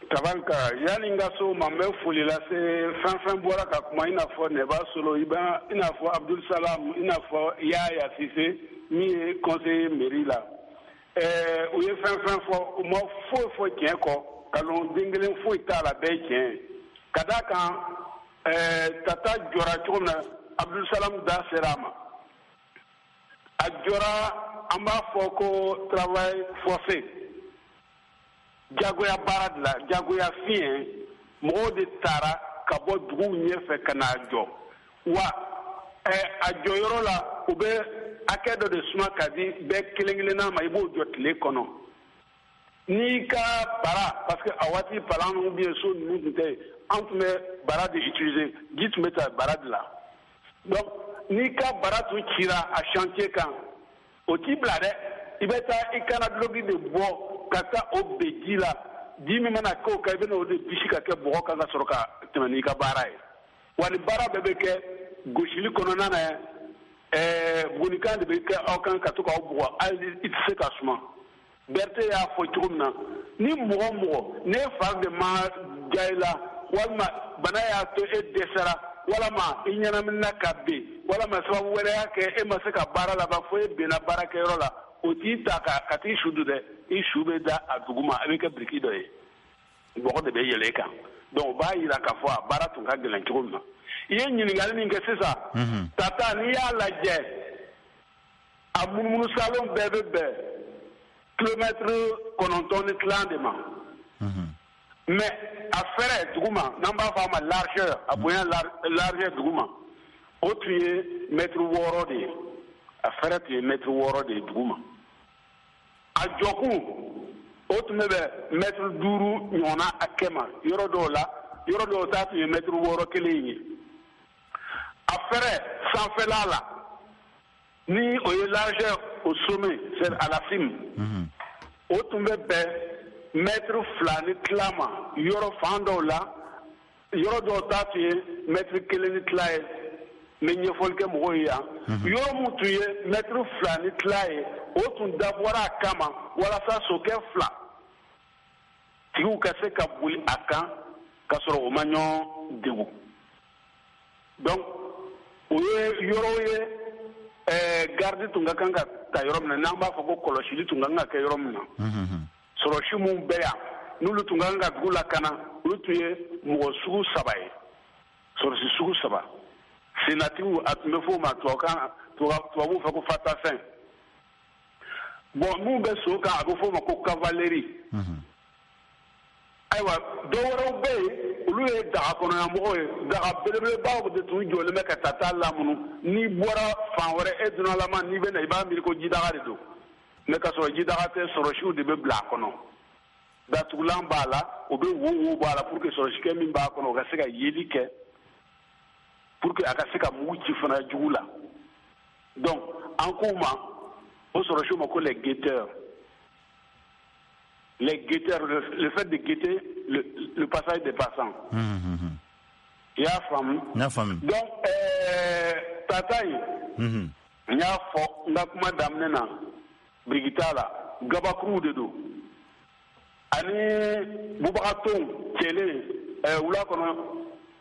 Tabarika, yanni n ka se o ma, n bɛ foli lase fɛn fɛn bɔra ka kuma, i n'a fɔ Nɛba Solo, i n'a fɔ Abdul Salam, i n'a fɔ Yaya Sise min ye conseiller mairie la. U ye fɛn fɛn fɔ, u ma foyi fɔ tiɲɛ kɔ, nkalon den kelen foyi t'a la, bɛɛ ye tiɲɛ ye. Ka d'a kan Tata jɔra cogo min na, Abdul Salam da sera a ma. A jɔra, an b'a fɔ ko travail forcé, jagoya baara de la, jagoya fiɲɛ, mɔgɔw de taara ka bɔ duguw ɲɛfɛ ka n'a jɔ. Wa a jɔyɔrɔ la, u bɛ hakɛ dɔ de suma ka di bɛɛ kelen kelenna ma, i b'o jɔ tile kɔnɔ. N'i ka bara, parce que a waati palan ou bien so ninnu tun tɛ yen, an tun bɛ bara de utiliser, ji tun bɛ ta bara de la. Donc n'i ka bara tun cira a chantier kan, o t'i bila dɛ, i bɛ taa i kana duloki de bɔ ka taa o ben ji la. Ji min mana k'o kan, i bɛ n'o de bisi ka kɛ bɔgɔ kan ka sɔrɔ ka tɛmɛ n'i ka baara ye. Wa nin baara bɛɛ bɛ kɛ gosili kɔnɔna na, bugunikan de bɛ kɛ aw kan ka to k'aw bugɔ, hali i tɛ se ka suma. Berete y'a fɔ cogo min na, ni mɔgɔ mɔgɔ n'e fari de ma diya i la, walima bana y'a to e dɛsɛra, walama i ɲɛnaminina ka ben, walama sababu wɛrɛ y'a kɛ e ma se ka baara laban fo e benna baarakɛyɔrɔ la, o t'i ta ka t'i su dun dɛ, i su bɛ da a duguma, a bɛ kɛ biriki dɔ ye, bɔgɔ de bɛ yɛlɛ e kan. Donc o b'a yira k'a fɔ a baara tun ka gɛlɛn cogo min na. I ye ɲininkali min kɛ sisan, Tata, n'i y'a lajɛ, a munumunu salon bɛɛ bɛ bɛn kilomɛtiri 9.5 de ma. Mais a fɛrɛ duguma, n'an b'a fɔ a ma largeur, a bonya largeur duguma, o tun ye mɛtiri 6 de ye. A fɛrɛ tun ye mɛtiri 6 de ye duguma. A jɔkun, o tun bɛ bɛn mɛtiri 5 ɲɔgɔnna hakɛ ma yɔrɔ dɔw la, yɔrɔ dɔw ta tun ye mɛtiri 6 kelen ye. A fɛrɛ sanfɛla la, ni o ye largeur au sommet, c'est à la cime, o tun bɛ bɛn mɛtiri 2.5 ma yɔrɔ fan dɔw la, yɔrɔ dɔw ta tun ye mɛtiri 1.5 ye. N bɛ ɲɛfɔli kɛ mɔgɔw ye yan. Yɔrɔ min tun ye mɛtiri 2.5 ye, o tun dabɔra a kama walasa sokɛ 2 tigiw ka se ka boli a kan ka sɔrɔ o ma ɲɔgɔn degun. Donc o ye yɔrɔw ye, garde tun ka kan ka ta yɔrɔ min na, n'an b'a fɔ ko kɔlɔsili tun ka kan ka kɛ yɔrɔ min na. Sɔrɔsi minnu bɛ yan, n'olu tun ka kan ka dugu lakana, olu tun ye mɔgɔ sugu 3 ye, sɔrɔsi sugu 3. Sennatigiw, a tun bɛ fɔ o ma tubabukan, tubabuw fɛ ko fatafɛn. Bon, minnu bɛ so kan, a bɛ fɔ o ma ko cavalerie. Ayiwa, dɔw wɛrɛw bɛ yen, olu ye daga kɔnɔyamɔgɔw ye. Daga belebelebaw de tun jɔlen bɛ ka Tata lamunu. N'i bɔra fan wɛrɛ, e dunnalama, n'i bɛ na, i b'a miiri ko jidaga de don, mais k'a sɔrɔ jidaga tɛ, sɔrɔsiw de bɛ bila a kɔnɔ. Datugulan b'a la, o bɛ wo wo bɔ a la pour que sɔrɔsikɛ min b'a kɔnɔ, o ka se ka yeli kɛ, pour que a ka se ka mugu ci fana jugu la. Donc an k'u ma, o sɔrɔsiw ma, ko les guetteurs. Les guetteurs, le fait de guetter le passage des passants. I y'a faamu? N y'a faamu. Donc Tata in, n y'a fɔ n ka kuma daminɛ na, biriki t'a la, gabakuruw de don ani bubagatonw cɛlen wula kɔnɔ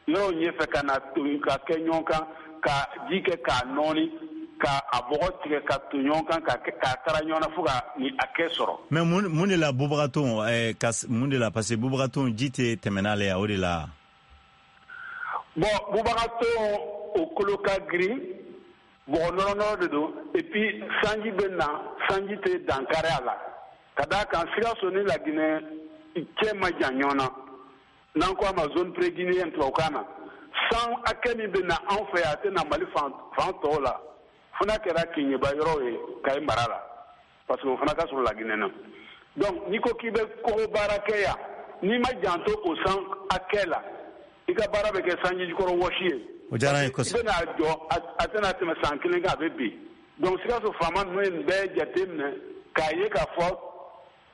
yɔrɔw ɲɛfɛ ka na ton ka kɛ ɲɔgɔn kan, ka ji kɛ k'a nɔɔni, ka a bɔgɔ tigɛ ka ton ɲɔgɔn kan, ka k'a kara ɲɔgɔn na fo ka ni a kɛ sɔrɔ. Mais mun de la bubagatonw, ka mun de la, parce que bubagatonw ji tɛ tɛmɛ n'ale ye, o de la. Bon, bubagatonw, o kolo ka girin, bɔgɔ nɔrɔ nɔrɔ de don, et puis sanji bɛ na, sanji tɛ dankari a la. Ka d'a kan Sikaso ni Laginɛ cɛ ma jan ɲɔgɔn na, n'an ko a ma zone pré-guinéenne tubabukan na, san hakɛ min bɛ na anw fɛ yan, a tɛ na Mali fan fan tɔw la, fo n'a kɛra Keɲeba yɔrɔw ye, Kayi mara la, parce que o fana ka sɔrɔ Laginɛ na. Donc n'i ko k'i bɛ kogo baara kɛ yan, n'i ma janto o san hakɛ la, i ka baara bɛ kɛ sanji jukɔrɔ wɔsi ye. O diyara n ye kosɛbɛ. I bɛna jɔ, a tɛna tɛmɛ san 1 kan, a bɛ bin. Donc Sikaso faama ninnu ye nin bɛɛ jate minɛ k'a ye k'a fɔ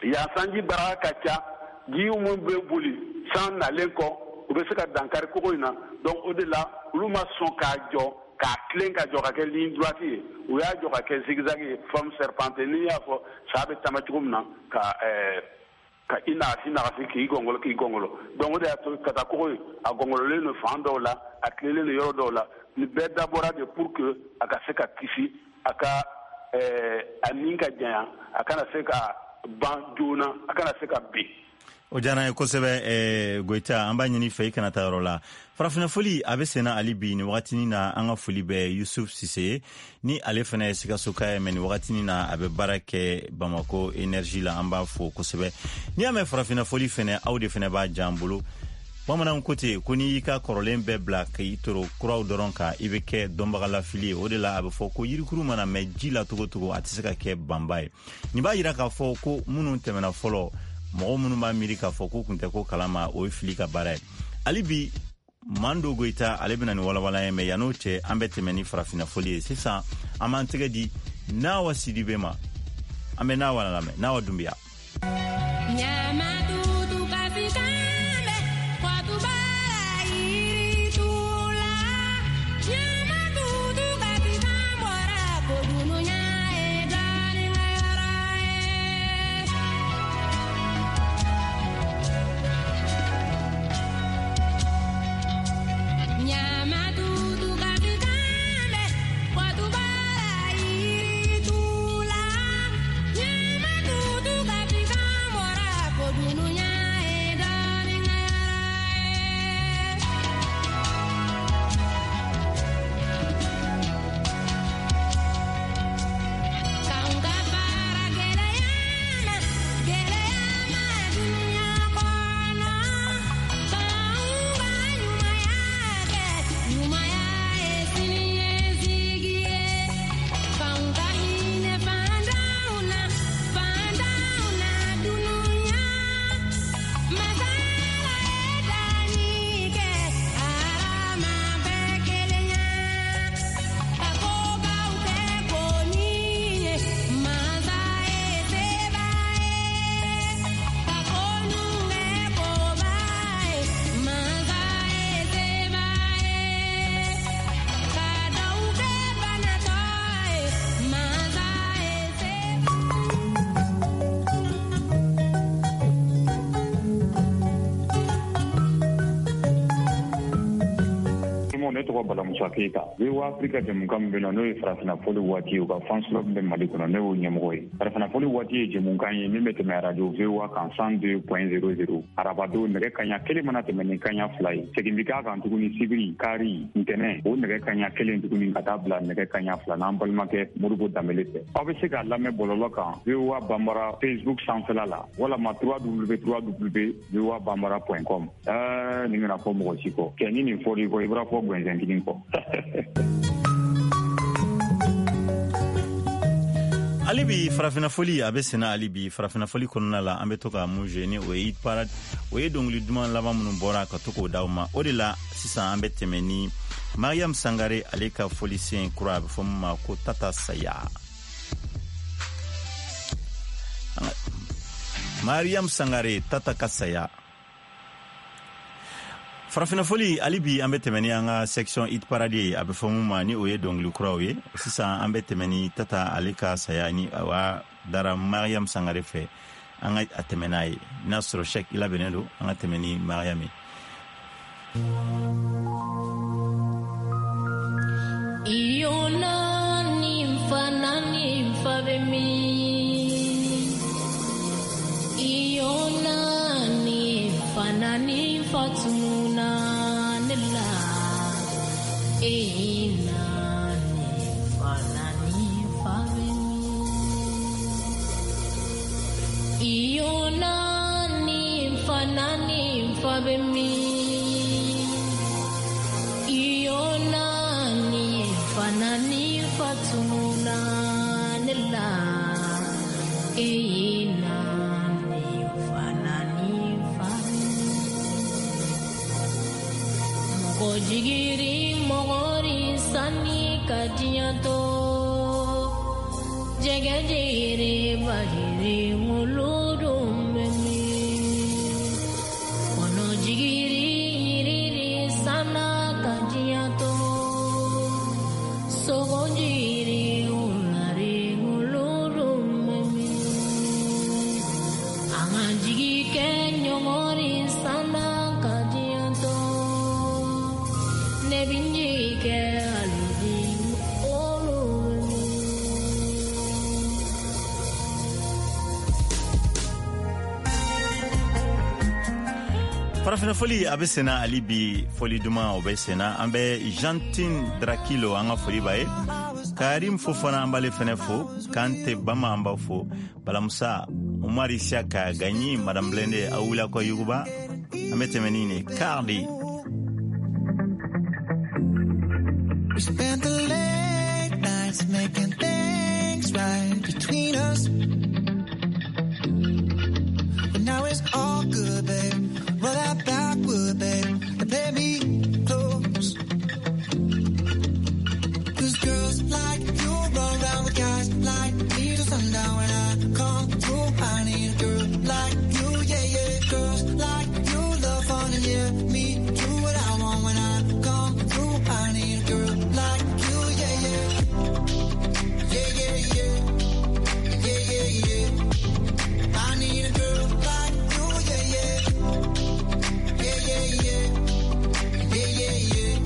yan sanji baraka ka ca, ji min bɛ boli san nalen kɔ. u bɛ se ka dankari kogo in na. Donc o de la olu ma sɔn k'a jɔ k'a tilen ka jɔ ka kɛ ligne droite ye, u y'a jɔ ka kɛ zigzag ye, forme serpentée. N'i y'a fɔ sa bɛ taama cogo min na ka i nagasi k'i gɔngɔlɔ. Donc o de y'a to ka taa kogo in a gɔngɔlɔlen don fan dɔw la, a tilelen don yɔrɔ dɔw la. Nin bɛɛ dabɔra de pour que a ka se ka kisi, a ka a nin ka janya, a kana se ka ban joona, a kana se ka bin. O diyara n ye kosɛbɛ Goyita, an b'a ɲini fɛ i kana taa yɔrɔ la. Farafinna foli a bɛ senna hali bi nin wagatinin na. An ka foli bɛ Yusuf Sise ye, ni ale fana ye Sikasoka ye, mɛ nin wagatinin na a bɛ baara kɛ Bamako énergie la. An b'a fo kosɛbɛ. N'i y'a mɛn farafinna foli fana, aw de fana b'a diya an bolo. Bamananw ko ten ko n'i y'i ka kɔrɔlen bɛɛ bila k'i toro kuraw dɔrɔn kan, i bɛ kɛ dɔnbagalafili ye. O de la a bɛ fɔ ko yirikuru mana mɛn ji la cogo cogo, a tɛ se ka kɛ banba ye. Nin b'a yira k'a fɔ ko minnu tɛmɛna fɔlɔ, mɔgɔ minnu b'a miiri k'a fɔ k'u kun tɛ ko kalama, o ye fili ka baara ye. Hali bi Mando Goyita ale bɛna nin walawala ye, mɛ yann'o cɛ an bɛ tɛmɛ ni farafinna foli ye. Sisan an b'an tɛgɛ di Nawa Sidibe ma. An bɛ Nawa lamɛn. Nawa Dunbiya. Ne tɔgɔ Bala Musa Keyita. VOA Afrika jɛmukan min bɛ na, n'o ye farafinna foli waati ye, u ka fans club bɛ Mali kɔnɔ, ne y'o ɲɛmɔgɔ ye. Farafinna foli waati ye jɛmukan ye min bɛ tɛmɛ radio VOA kan 102.00 arabadon nɛgɛ kanɲɛ 1 mana tɛmɛ ni kanɲɛ 2 ye. Segin bɛ k'a kan tuguni sibiri, kari, ntɛnɛn, o nɛgɛ kanɲɛ 1 tuguni ka taa bila nɛgɛ kanɲɛ 2 n'an balimakɛ Modibo Danbele fɛ. Aw bɛ se k'a lamɛn bɔlɔlɔ kan VOA Banbara Facebook sanfɛla la walama www.voabambara.com. Nin kana fɔ mɔgɔ si kɔ. Kɛ ni nin fɔr'i kɔ, i bɔra fɔ gɛnsɛn kelen kɔ. Hali bi farafinna foli a bɛ senna. Hali bi farafinna foli kɔnɔna la, an bɛ to ka mun jouer ni o ye hit parade, o ye dɔnkili duman laban minnu bɔra ka to k'o d'aw ma. O de la sisan an bɛ tɛmɛ ni Mariam Sangare ale ka folisen kura, a bɛ fɔ min ma ko Tata Saya. Mariam Sangare, Tata ka saya. Farafinna foli hali bi an bɛ tɛmɛ ni an ka section hit parade ye, a bɛ fɔ mun ma ni o ye dɔnkili kuraw ye. Sisan an bɛ tɛmɛ ni Tata ale ka saya ni a dara Mariam Sangare fɛ. An ka a tɛmɛ n'a ye. N'a sɔrɔ Cheikh i labɛnnen don, an ka tɛmɛ ni Mariam ye. Iyo ni fa na ni fa bɛ min? Iyo ni fa na ni fa tununa ne la. E na ni fa na ni fa bɛ min? Iyo na ni fa na ni fa bɛ min? Iyo na ni fa na ni fa tununa ne la. E na ni fa na ni fa. Mɔgɔ jigiri mɔgɔri sanni ka diɲɛ to. Jɛgɛ jere bajere ŋolo dun bɛ min? Kɔnɔ jigiri Farafina foli a bɛ senna hali bi, foli duman o bɛ senna. An bɛ Gentine Drakilo, an ka foli b'a ye. Karim Fofana, an b'ale fɛnɛ fo. Kante Bama, an b'a fo. Balamusa Umar Isiaka Gaɲi, Madame Blende, aw wuli kɔ yuguba. An bɛ tɛmɛ ni nin Cardi. We spent the late nights making things right between us. But now it's all good, babe. Roll that backward, babe, and play me close. 'Cause girls like you run round with guys like me till sundown. When I come through, I need a girl like you, yeah, yeah. Girls like you love fun and yeah, me do what I want. When I come through, I need a girl like you, yeah, yeah. Yeah, yeah, yeah. Yeah, yeah, yeah. I need a girl like you, yeah, yeah. Yeah, yeah, yeah. Yeah, yeah, yeah.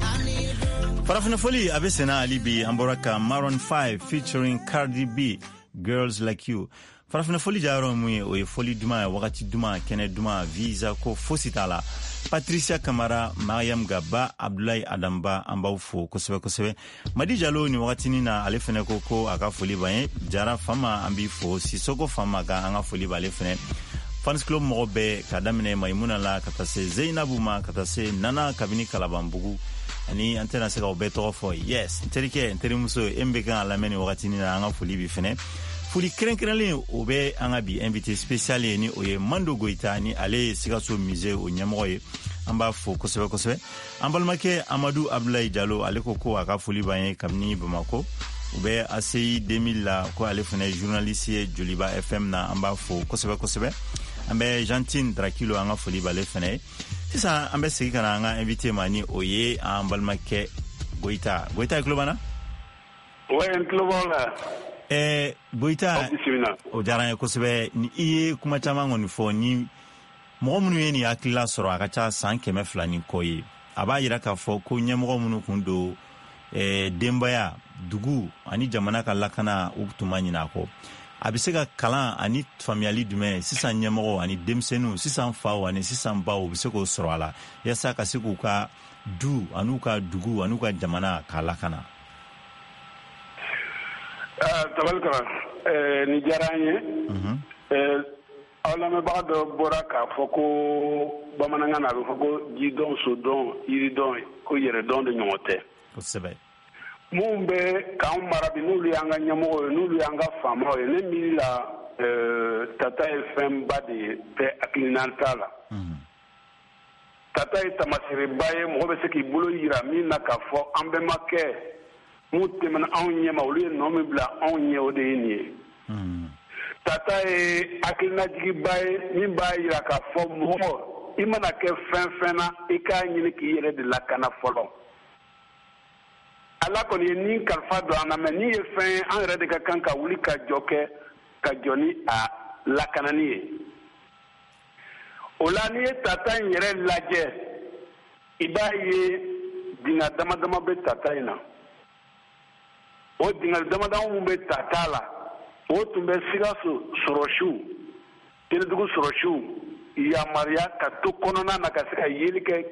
I need a girl. Farafina foli a bɛ senna hali bi. An bɔra ka Maroon 5 featuring Cardi B, Girls Like You. Farafina foli jayɔrɔ mun ye? O ye foli duman ye, wagati duman, kɛnɛ duman, visa ko fosi t'a la. Patricia Kamara, Mariam Gaba, Abdulayi Adamba, an b'aw fo kosɛbɛ kosɛbɛ. Madi Jalo, ni wagatinin na, ale fɛnɛ ko ko a ka foli b'an ye. Jara Fama, an b'i fo. Sisoko Fama ka, an ka foli b'ale fɛnɛ. Fans club mɔgɔ bɛɛ, ka daminɛ Maimuna la ka taa se Zeinabu ma, ka taa se Nana kabini Kalabanbugu, ani an tɛna se k'aw bɛɛ tɔgɔ fɔ. Yes, n terikɛ, n terimuso, e min bɛ kan ka lamɛn ni wagatinin na, an ka foli bi fɛnɛ. Foli kɛrɛnkɛrɛnlen, o bɛ an ka bi invité spécial ye, ni o ye Mando Goyita, ni ale ye Sikaso Musée o ɲɛmɔgɔ ye. An b'a fo kosɛbɛ kosɛbɛ. An balimakɛ Amadu Abdulayi Jalo, ale ko ko a ka foli b'an ye kabini Bamako, u bɛ ACI 2000 la, ko ale fana ye journaliste ye Joliba FM na. An b'a fo kosɛbɛ kosɛbɛ. An bɛ Gentine Drakilo, an ka foli b'ale fana ye. Sisan an bɛ segin ka na an ka invité ma, ni o ye an balimakɛ Goyita. Goyita, i tulo b'an na? Ouais, n tulo b'aw la. Goyita, Aw bisimila. o diyara n ye kosɛbɛ. Ni i ye kuma caman kɔni fɔ, ni mɔgɔ minnu ye nin hakilila sɔrɔ, a ka ca san 200 ni kɔ ye. A b'a yira k'a fɔ ko ɲɛmɔgɔ minnu kun don, denbaya, dugu ani jamana ka lakana, u tun ma ɲinɛ a kɔ. A bɛ se ka kalan ani faamuyali jumɛn sisan ɲɛmɔgɔw ani denmisɛnninw, sisan faw ani sisan baw, u bɛ se k'o sɔrɔ a la yaasa ka se k'u ka du an'u ka dugu an'u ka jamana k'a lakana? Tabalikara, nin diyara an ye. Aw lamɛnbaga dɔ bɔra k'a fɔ ko bamanankan na, a bɛ fɔ ko jidɔn, sodɔn, yiridɔn, ko yɛrɛdɔn de ɲɔgɔn tɛ. Mun bɛ k'anw mara bi, n'olu y'an ka ɲɛmɔgɔw ye, n'olu y'an ka faamaw ye, ne miiri la, tata ye fɛnba de ye bɛɛ hakilina t'a la. Tata ye tamasereba ye, mɔgɔ bɛ se k'i bolo yira min na k'a fɔ an bɛnbakɛ mun tɛmɛna anw ɲɛma, olu ye nɔ min bila anw ɲɛ, o de ye nin ye. Tata ye hakilinajigiba ye min b'a yira k'a fɔ mɔgɔ, i mana kɛ fɛn fɛn na, i k'a ɲini k'i yɛrɛ de lakana fɔlɔ. Ala kɔni ye nin kalifa don an na, mɛ ni ye fɛn ye, an yɛrɛ de ka kan ka wuli ka jɔ kɛ, ka jɔ ni a lakanani ye. O la, n'i ye tata in yɛrɛ lajɛ, i b'a ye dingɛ dama dama bɛ tata in na. O dingɛ dama dama mun bɛ tata la, o tun bɛ Sikaso sɔrɔsiw, Tɛnɛdugu sɔrɔsiw yamaruya ka to kɔnɔna na, ka se ka yeli kɛ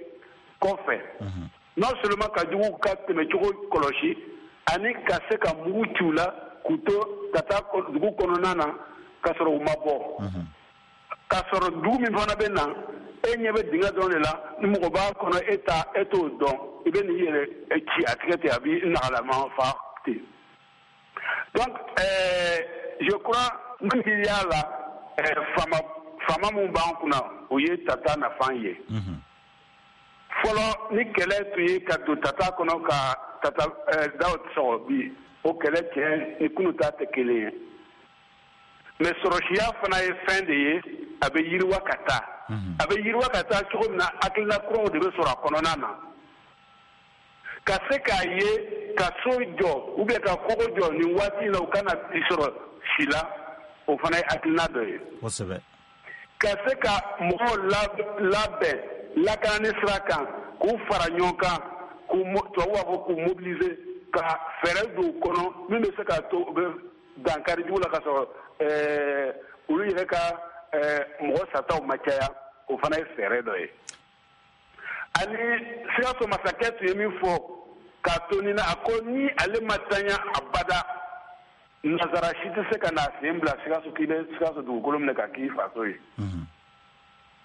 kɔfɛ, non seulement ka jugu ka tɛmɛcogo kɔlɔsi, ani ka se ka mugu ci u la k'u to ka taa dugu kɔnɔna na ka sɔrɔ u ma bɔ. K'a sɔrɔ dugu min fana bɛ na, e ɲɛ bɛ dingɛ dɔrɔn de la, ni mɔgɔ b'a kɔnɔ, e ta e t'o dɔn, i bɛ n'i yɛrɛ ci a tigɛ ten, a b'i nagalama fa ten. Donc je crois, n miiriya la, faama faama mun b'an kunna, o ye tata nafan ye. Fɔlɔ, ni kɛlɛ tun ye ka don tata kɔnɔ ka tata daw sɔgɔ, bi o kɛlɛ tiɲɛ ni kunu ta tɛ kelen ye. Mais sɔrɔsiya fana ye fɛn de ye, a bɛ yiriwa ka taa. A bɛ yiriwa ka taa cogo min na, hakilina kuraw de bɛ sɔrɔ a kɔnɔna na, ka se k'a ye ka so jɔ ou bien ka kogo jɔ nin waati in na, u kana i sɔrɔ si la, o fana ye hakilina dɔ ye. Ka se ka mɔgɔw labɛn lakanani sira kan, k'u fara ɲɔgɔn kan, k'u, tubabu b'a fɔ k'u mobiliser, ka fɛɛrɛ don u kɔnɔ min bɛ se k'a to u bɛ dankari jugu la, ka sɔrɔ olu yɛrɛ ka mɔgɔ sataw ma caya. o fana ye fɛɛrɛ dɔ ye. Ani Sikaso masakɛ tun ye min fɔ k'a to nin na, a ko ni ale ma tanya abada, nazara si tɛ se ka n'a sen bila Sikaso k'i bɛ Sikaso dugukolo minɛ ka k'i faso ye.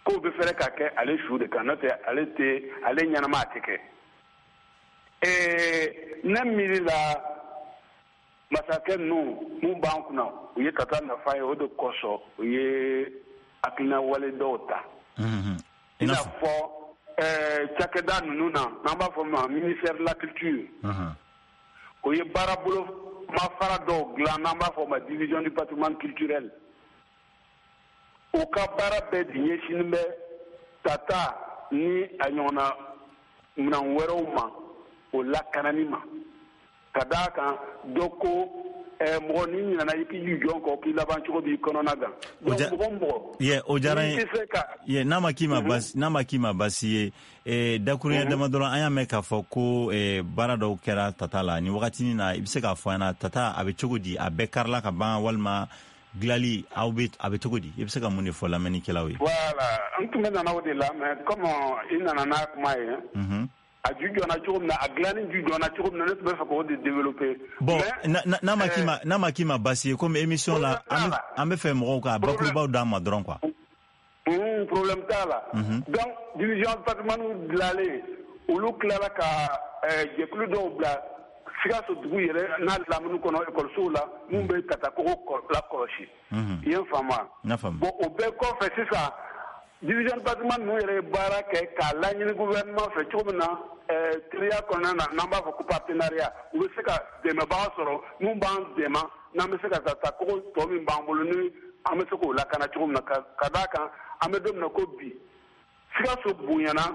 K'o bɛ fɛrɛ ka kɛ ale su de kan, n'o tɛ ale tɛ ale ɲɛnama a tɛ kɛ. Ne miiri la masakɛ ninnu mun b'an kunna, u ye tata nafa ye, o de kosɔn u ye hakilina wale dɔw ta. I n'a fɔ cakɛda ninnu na, n'an b'a fɔ ma ministère de la culture, o ye baarabolo mafara dɔw dilan, n'an b'a fɔ ma division du patrimoine culturel. U ka baara bɛɛ de ɲɛsinnen bɛ tata ni a ɲɔgɔnna minɛn wɛrɛw ma, o lakanani ma. Ka d'a kan dɔ ko mɔgɔ n'i ɲinɛna i k'i jɔ kɔ, k'i laban cogo b'i kɔnɔna gan. Donc mɔgɔ mɔgɔ o diyara n ye. N'a ma k'i ma basi, n'a ma k'i ma basi ye, dakuruɲɛ dama dɔrɔn, an y'a mɛn k'a fɔ ko baara dɔw kɛra tata la nin wagatinin na. I bɛ se k'a fɔ an ɲɛna, tata a bɛ cogo di? A bɛɛ karila ka ban walima dilali aw bɛ a bɛ cogo di? I bɛ se ka mun de fɔ lamɛnnikɛlaw ye? Voilà, n tun bɛ nana o de la, mais comme i nana n'a kuma ye, a ju jɔna cogo min na, a dilanni ju jɔna cogo min na, ne tun bɛ fɛ k'o de développer. Bon, n'a ma k'i ma, n'a ma k'i ma basi ye, comme émission la an bɛ fɛ mɔgɔw ka bakurubaw d'an ma dɔrɔn quoi. Problème t'a la. Donc division patrimoine dilanlen, olu tilala ka jɛkulu dɔw bila Sikaso dugu yɛrɛ n'a lamini kɔnɔ, ekɔlisow la, mun bɛ tata kogo lakɔlɔsi. I ye n faamu wa? Bon, o bɛɛ kɔfɛ sisan, division patrimoine ninnu yɛrɛ ye baara kɛ k'a laɲini gouvernement fɛ cogo min na, teriya kɔnɔna na, n'an b'a fɔ ko partenariat, u bɛ se ka dɛmɛbaga sɔrɔ mun b'an dɛmɛ, n'an bɛ se ka tata kogo tɔ min b'an bolo, ni an bɛ se k'o lakana cogo min na. Ka d'a kan an bɛ don min na ko bi, Sikaso bonyana,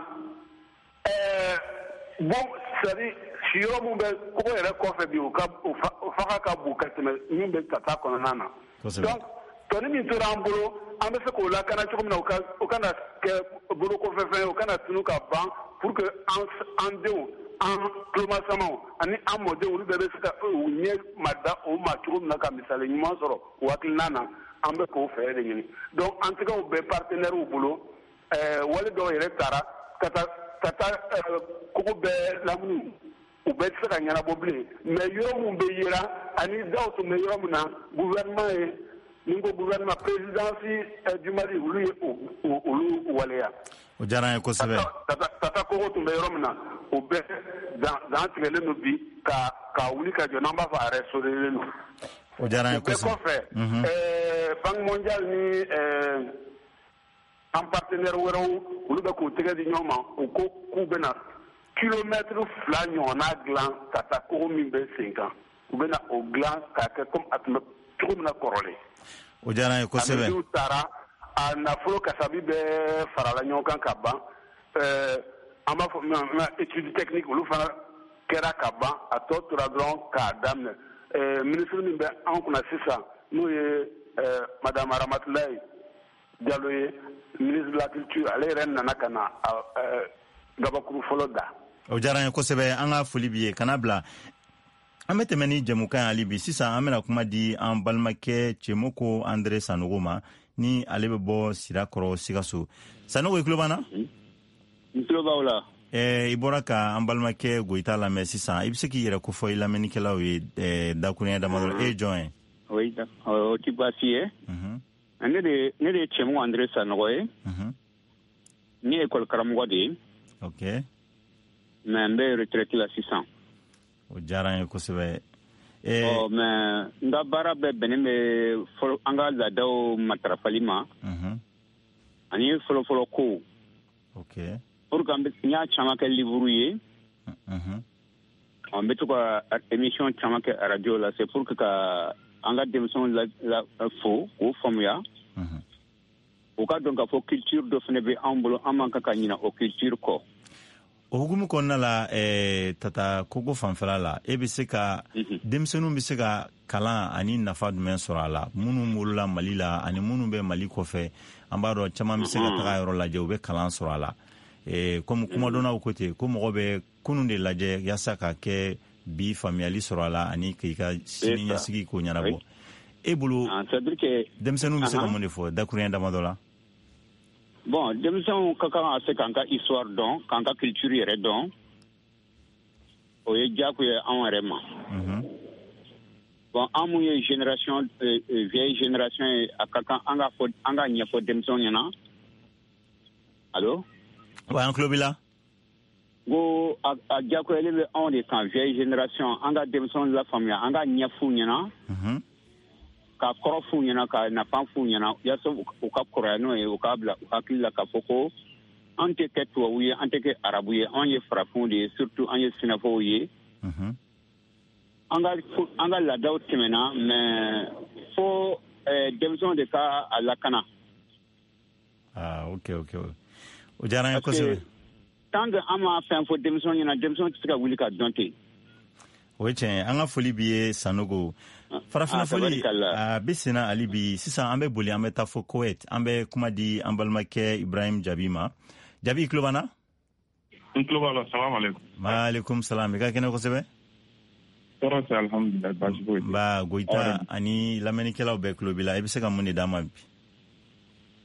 bon, c'est à dire siyɔrɔ mun bɛ kogo yɛrɛ kɔfɛ bi, o ka o faga ka bon ka tɛmɛ min bɛ tata kɔnɔna na. Donc tɔni min tora an bolo, an bɛ se k'o lakana cogo min na, o kana kɛ bolo kɔfɛfɛn ye, o kana tunu ka ban, pour que an denw, an tulomasamaw ani an mɔdenw, olu bɛɛ bɛ se ka u ɲɛ ma da o ma cogo min na, ka misali ɲuman sɔrɔ o hakilina na. An bɛ k'o fɛɛrɛ de ɲini. Donc an tɛgɛw bɛ partenaires bolo, wale dɔw yɛrɛ taara ka taa kogo bɛɛ lamini, u bɛɛ tɛ se ka ɲɛnabɔ bilen, mais yɔrɔ min bɛ yera ani daw tun bɛ yɔrɔ min na, gouvernement ye, ni ko gouvernement, présidence du Mali, olu ye olu waleya. O diyara n ye kosɛbɛ. Tata kogo tun bɛ yɔrɔ min na, o bɛɛ dan tigɛlen don bi ka wuli ka jɔ, n'an b'a fɔ a restauré don. O diyara n ye kosɛbɛ. O bɛɛ kɔfɛ, Banque mondiale ni an partenaire wɛrɛw, olu bɛ k'u tɛgɛ di ɲɔgɔn ma, u ko k'u bɛna kilomètre 2 ɲɔgɔnna dilan ka taa kogo min bɛ sen kan, u bɛna o dilan k'a kɛ comme a tun bɛ cogo min na kɔrɔlen. O diyara n ye kosɛbɛ. A mesure taara, a nafolo kasabi bɛɛ farala ɲɔgɔn kan ka ban. An b'a fɔ min ma étude technique, olu fana kɛra ka ban, a tɔ tora dɔrɔn k'a daminɛ. Ministre min bɛ an kunna sisan, n'o ye madame Aramatulayi Jalo ye, ministre de la culture, ale yɛrɛ nana ka na gabakuru fɔlɔ da. O diyara n ye kosɛbɛ, an ka foli b'i ye. Kana bila, an bɛ tɛmɛ ni jɛmukan ye hali bi. Sisan an bɛna kuma di an balimakɛ Cɛmɔkɔ Andre Sanogo ma, ni ale bɛ bɔ Sirakɔrɔ Sikaso. Sanogo, i tulo b'an na? N tulo b'aw la. I bɔra ka an balimakɛ Goyita lamɛn sisan, i bɛ se k'i yɛrɛ kofɔ i lamɛnnikɛlaw ye dakuruɲɛ damadɔ? E ye jɔn ye? Oui, o ti baasi ye. Ne de ye Cɛmɔgɔ Andre Sanogo ye. Ne ye école karamɔgɔ de ye. Ok. Mais n bɛ retraite la sisan. O diyara n ye kosɛbɛ. Ɔ, mais n ka baara bɛɛ bɛnnen bɛ an ka laadaw matarafali ma, ani fɔlɔfɔlɔ kow. Ok. Pour que n y'a caman kɛ livre ye. An bɛ to ka émission caman kɛ radio la, c'est pour que ka an ka denmisɛnw la fo k'o faamuya. U ka dɔn k'a fɔ culture dɔ fana bɛ an bolo, an man kan ka ɲinɛ o culture kɔ. O hukumu kɔnɔna la, tata kogo fanfɛla la, e bɛ se ka denmisɛnninw bɛ se ka kalan ani nafa jumɛn sɔrɔ a la, minnu wolola Mali la ani minnu bɛ Mali kɔfɛ? An b'a dɔn caman bɛ se ka taga yɔrɔ lajɛ, u bɛ kalan sɔrɔ a la. Komi kumadɔnnaw ko ten ko mɔgɔ bɛ kunun de lajɛ yaasa ka kɛ bi faamuyali sɔrɔ a la ani k'i ka sini ɲɛsigi ko ɲɛnabɔ. E bolo, denmisɛnninw bɛ se ka mun de fɔ dakuruɲɛ damadɔ la? Bon, denmisɛnw ka kan ka se k'an ka histoire dɔn, k'an ka culture yɛrɛ dɔn. O ye diyagoya ye anw yɛrɛ ma. Bon, an mun ye génération vieille génération ye, a ka kan an ka fɔ, an ka ɲɛfɔ denmisɛnw ɲɛna. Allo? Wa, an tulo b'i la. Ko a diyagoyalen bɛ anw de kan, vieille génération, an ka denmisɛnw lafaamuya, an ka ɲɛf'u ɲɛna, ka kɔrɔ f'u ɲɛna, ka nafa f'u ɲɛna, yaasa u ka kɔrɔya n'o ye, u k'a bila u hakili la k'a fɔ ko an tɛ kɛ tubabu ye, an tɛ kɛ arabu ye, anw ye farafinw de ye, surtout an ye sinafɔw ye. An ka laadaw tɛmɛna, mais fo denmisɛnw de ka a lakana. Ah, ok, o diyara n ye kosɛbɛ. Tant que an ma fɛn fɔ denmisɛnw ɲɛna, denmisɛnw tɛ se ka wuli ka dɔn ten. O ye tiɲɛ ye. An ka foli b'i ye, Sanogo. Farafinna foli a bɛ senna hali bi. Sisan an bɛ boli, an bɛ taa fo Kowet. An bɛ kuma di an balimakɛ Ibrahim Jabi ma. Jabi, i tulo b'an na? N tulo b'a la. Salam aleykum. Maaleykum salam. I ka kɛnɛ kosɛbɛ? Tɔɔrɔ tɛ, alhamdulilayi, baasi foyi tɛ. Ba Goyita ani lamɛnnikɛlaw bɛɛ tulo b'i la. I bɛ se ka mun de d'an ma bi?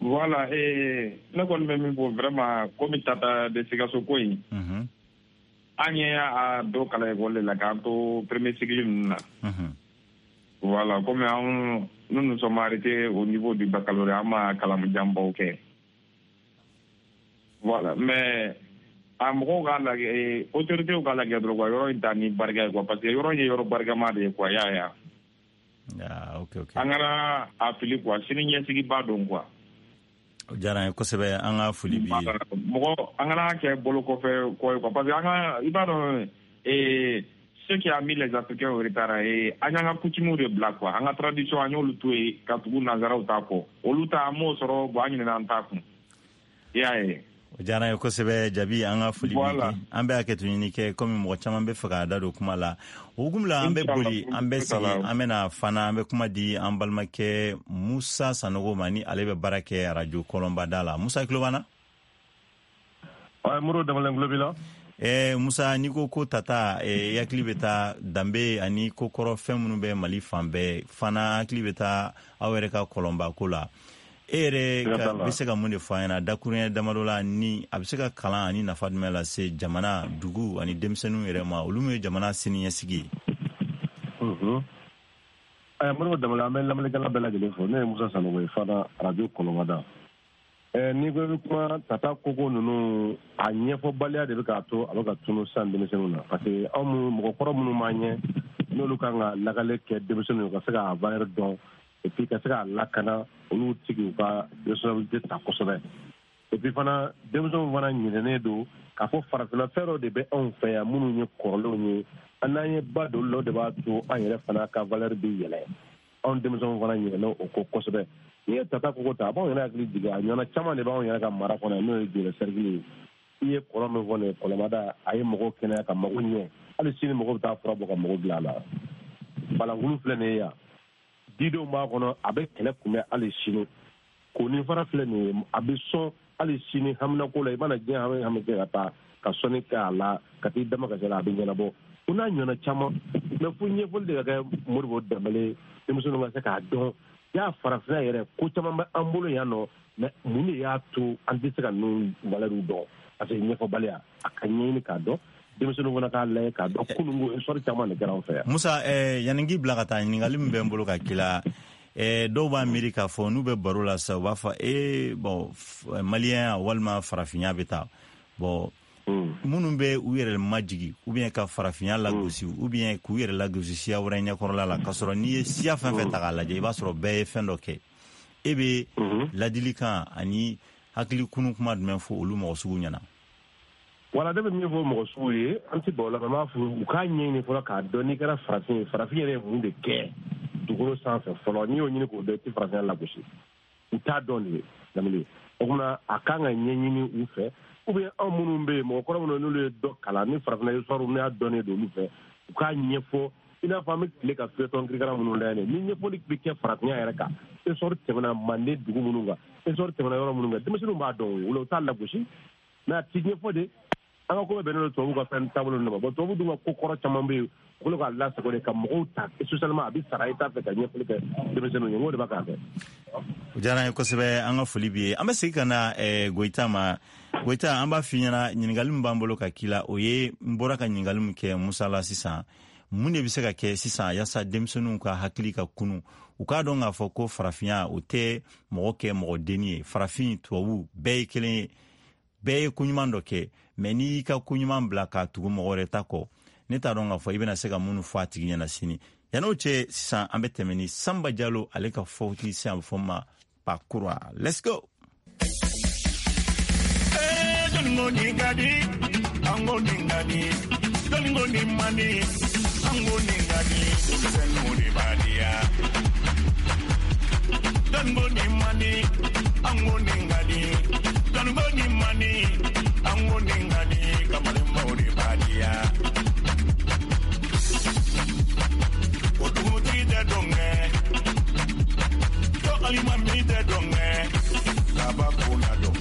Voilà, ne kɔni bɛ min fɔ vraiment, komi Tata de Sikaso ko in, an ye a dɔ kalan école de la k'an to premier cycle ninnu na. Voilà, comme anw, nous nous sommes arrêtés au niveau du baccalauréat, an ma kalan janbaw kɛ. Voilà, mais a mɔgɔw k'a lajɛ, autorités k'a lajɛ dɔrɔn quoi, yɔrɔ in ta ni barika ye quoi, parce que yɔrɔ in ye yɔrɔ barikama de ye quoi, y'a ye. Ah, ok. An kana a fili quoi, sini ɲɛsigiba don quoi. O diyara an ye kosɛbɛ, an ka foli b'i ye. Mɔgɔ, an kana kɛ bolo kɔfɛ kɔ ye quoi, parce que an ka, i b'a dɔn, ce qui a mis les Africains au retard, an y'an ka coutumes de bila quoi, an ka tradition, an y'olu to yen ka tugu nanzaraw ta kɔ, olu ta an m'o sɔrɔ, bon, an ɲinɛna an ta kun, i y'a ye. O diyara an ye kosɛbɛ, Jabi, an ka foli b'i ye. An bɛ hakɛto ɲini kɛ, komi mɔgɔ caman bɛ fɛ k'a da don kuma la. O hukumu la, an bɛ boli, an bɛ segin, an bɛna fana, an bɛ kuma di an balimakɛ Musa Sanogo ma, ni ale bɛ baara kɛ arajo Kɔlɔnbada la. Musa, tulo b'an na? Modibo Danbɛlɛ, tulo b'i la. Musa, n'i ko ko Tata, i hakili bɛ taa danbe ani kokɔrɔ fɛn minnu bɛ Mali fan bɛɛ fana, hakili bɛ taa aw yɛrɛ ka kɔlɔnba ko la. E yɛrɛ bɛ se ka mun de fɔ an ɲɛna dakuruɲɛ damadɔ la, ni a bɛ se ka kalan ani nafa jumɛn lase jamana, dugu ani denmisɛnninw yɛrɛ ma, olu min ye jamana siniɲɛsigi ye? Modibo Danbɛlɛ, an bɛ lamɛnnikɛla bɛɛ lajɛlen fo. Ne ye Musa Sanogo ye fana, arajo Kɔlɔnbada. N'i ko i bɛ kuma Tata koko ninnu, a ɲɛfɔbaliya de bɛ k'a to a bɛ ka tunu sisan denmisɛnninw na, parce que anw minnu mɔgɔkɔrɔ minnu b'an ɲɛ, n'olu kan ka lakale kɛ denmisɛnninw ye ka se k'a valeur dɔn et puis ka se k'a lakana, olu tɛ k'u ka responsabilité ta kosɛbɛ. Et puis fana, denmisɛnw fana ɲinɛnen don k'a fɔ farafinna fɛn dɔ de bɛ anw fɛ yan minnu ye kɔrɔlenw ye, an n'an ye ba don olu la, o de b'a to an yɛrɛ fana ka valeur bɛ yɛlɛ. Anw denmisɛnw fana ɲinɛna o kɔ kosɛbɛ. N'i ye Tata koko ta, a b'anw yɛrɛ hakili jigin a ɲɔgɔnna caman de b'anw yɛrɛ ka mara kɔnɔ, n'o ye Jolɛ cercle ye. I ye kɔlɔn min fɔ nin ye, Kɔlɔnbada, a ye mɔgɔw kɛnɛya ka mago ɲɛ, hali sini mɔgɔw bɛ taa fura bɔ ka mɔgɔw bila a la. Balankulu filɛ nin ye yan, didenw b'a kɔnɔ, a bɛ kɛlɛ kunbɛn hali sini. Koni fara filɛ nin ye, a bɛ sɔn hali sini haminako la, i mana diɲɛ hami hami kɛ ka taa ka sɔnni kɛ a la, ka t'i dama ka se la, a bɛ ɲɛnabɔ. O n'a ɲɔgɔnna caman, mais fo ɲɛfɔli de ka kɛ, Modibo Danbɛlɛ, denmisɛnninw ka se k'a dɔn y'a farafinna yɛrɛ ko caman bɛ an bolo yan nɔ, mais mun de y'a to an tɛ se ka ninnu valeur dɔn? Parce que ɲɛfɔbaliya, a ka ɲɛɲini k'a dɔn, denmisɛnninw fana k'a lajɛ k'a dɔn kununko histoire caman de kɛra an fɛ yan. Musa, yanni k'i bila ka taa, ɲininkali min bɛ n bolo ka k'i la, dɔw b'a miiri k'a fɔ n'u bɛ baro la sisan, u b'a fɔ bon, maliyɛnya walima farafinya bɛ taa, bon, minnu bɛ u yɛrɛ majigi ou bien ka farafinya lagosi ou bien k'u yɛrɛ lagosi siya wɛrɛ ɲɛkɔrɔla la, k'a sɔrɔ n'i ye siya fɛn fɛn ta k'a lajɛ, i b'a sɔrɔ bɛɛ ye fɛn dɔ kɛ. E bɛ ladilikan ani hakili kunu kuma jumɛn fɔ olu mɔgɔ sugu ɲɛna? Wala, ne bɛ min fɔ mɔgɔ sugu ye, an tɛ ban o la, n b'a fɔ u k'a ɲɛɲini fɔlɔ k'a dɔn n'i kɛra farafin ye, farafin yɛrɛ ye mun de kɛ dugukolo sanfɛ fɔlɔ. N'i y'o ɲini k'o dɔn, i tɛ farafinya lagosi. U t'a dɔn de Danbɛlɛ. O tuma a kan ka ɲɛɲini u fɛ, ou bien anw minnu bɛ yen, mɔgɔkɔrɔ minnu n'olu ye dɔ kalan ni farafinna histoire n'u y'a dɔnnen don olu fɛ, u k'a ɲɛfɔ. I n'a fɔ an bɛ tile ka feuilleton kirikara minnu lajɛ nin, ni ɲɛfɔli bɛ kɛ farafinya yɛrɛ kan, histoire tɛmɛna Manden dugu minnu kan, histoire tɛmɛna yɔrɔ minnu kan, denmisɛnninw b'a dɔn o la, u t'a lagosi. Mais a ti ɲɛfɔ de. An ka ko bɛɛ bɛnnen don tubabuw ka fɛn taabolo ninnu ma. Bon, tubabu dun ka ko kɔrɔ caman bɛ yen, u kɛlen k'a lasago de ka mɔgɔw ta socialement, a bɛ sara i t'a fɛ ka ɲɛfɔli kɛ denmisɛnninw ye, n k'o de b'a k'a kɛ. O diyara an ye kosɛbɛ, an ka foli b'i ye. An bɛ segin ka na Goyita ma. Goyita, an b'a f'i ɲɛna, ɲininkali min b'an bolo ka k'i la, o ye n bɔra ka ɲininkali min kɛ Musa la sisan. Mun de bɛ se ka kɛ sisan yaasa denmisɛnninw ka hakili ka kunu, u k'a dɔn k'a fɔ ko farafinya o tɛ mɔgɔ kɛ mɔgɔ denni ye, farafin tubabu bɛɛ ye kelen ye, bɛɛ ye koɲuman dɔ kɛ, mɛ n'i y'i ka koɲuman bila k'a tugu mɔgɔ wɛrɛ ta kɔ, ne t'a dɔn k'a fɔ i bɛna se ka minnu fɔ a tigi ɲɛna sini. Yann'o cɛ sisan, an bɛ tɛmɛ ni Sanba Jalo ale ka fɔti sisan, a bɛ fɔ ma Pakura. Let's go. Jɔnninko nin ka di, an ko nin ka di, jɔnninko nin man di, an ko nin ka di, denmisɛnninw de b'a diya. Jɔnninko nin man di, an ko nin ka di, jɔnninko nin man di, an ko nin ka di, kamalenbaw de b'a diya. O dugutigi tɛ dɔn kɛ, ko alimami tɛ dɔn kɛ, kabako na dɔn.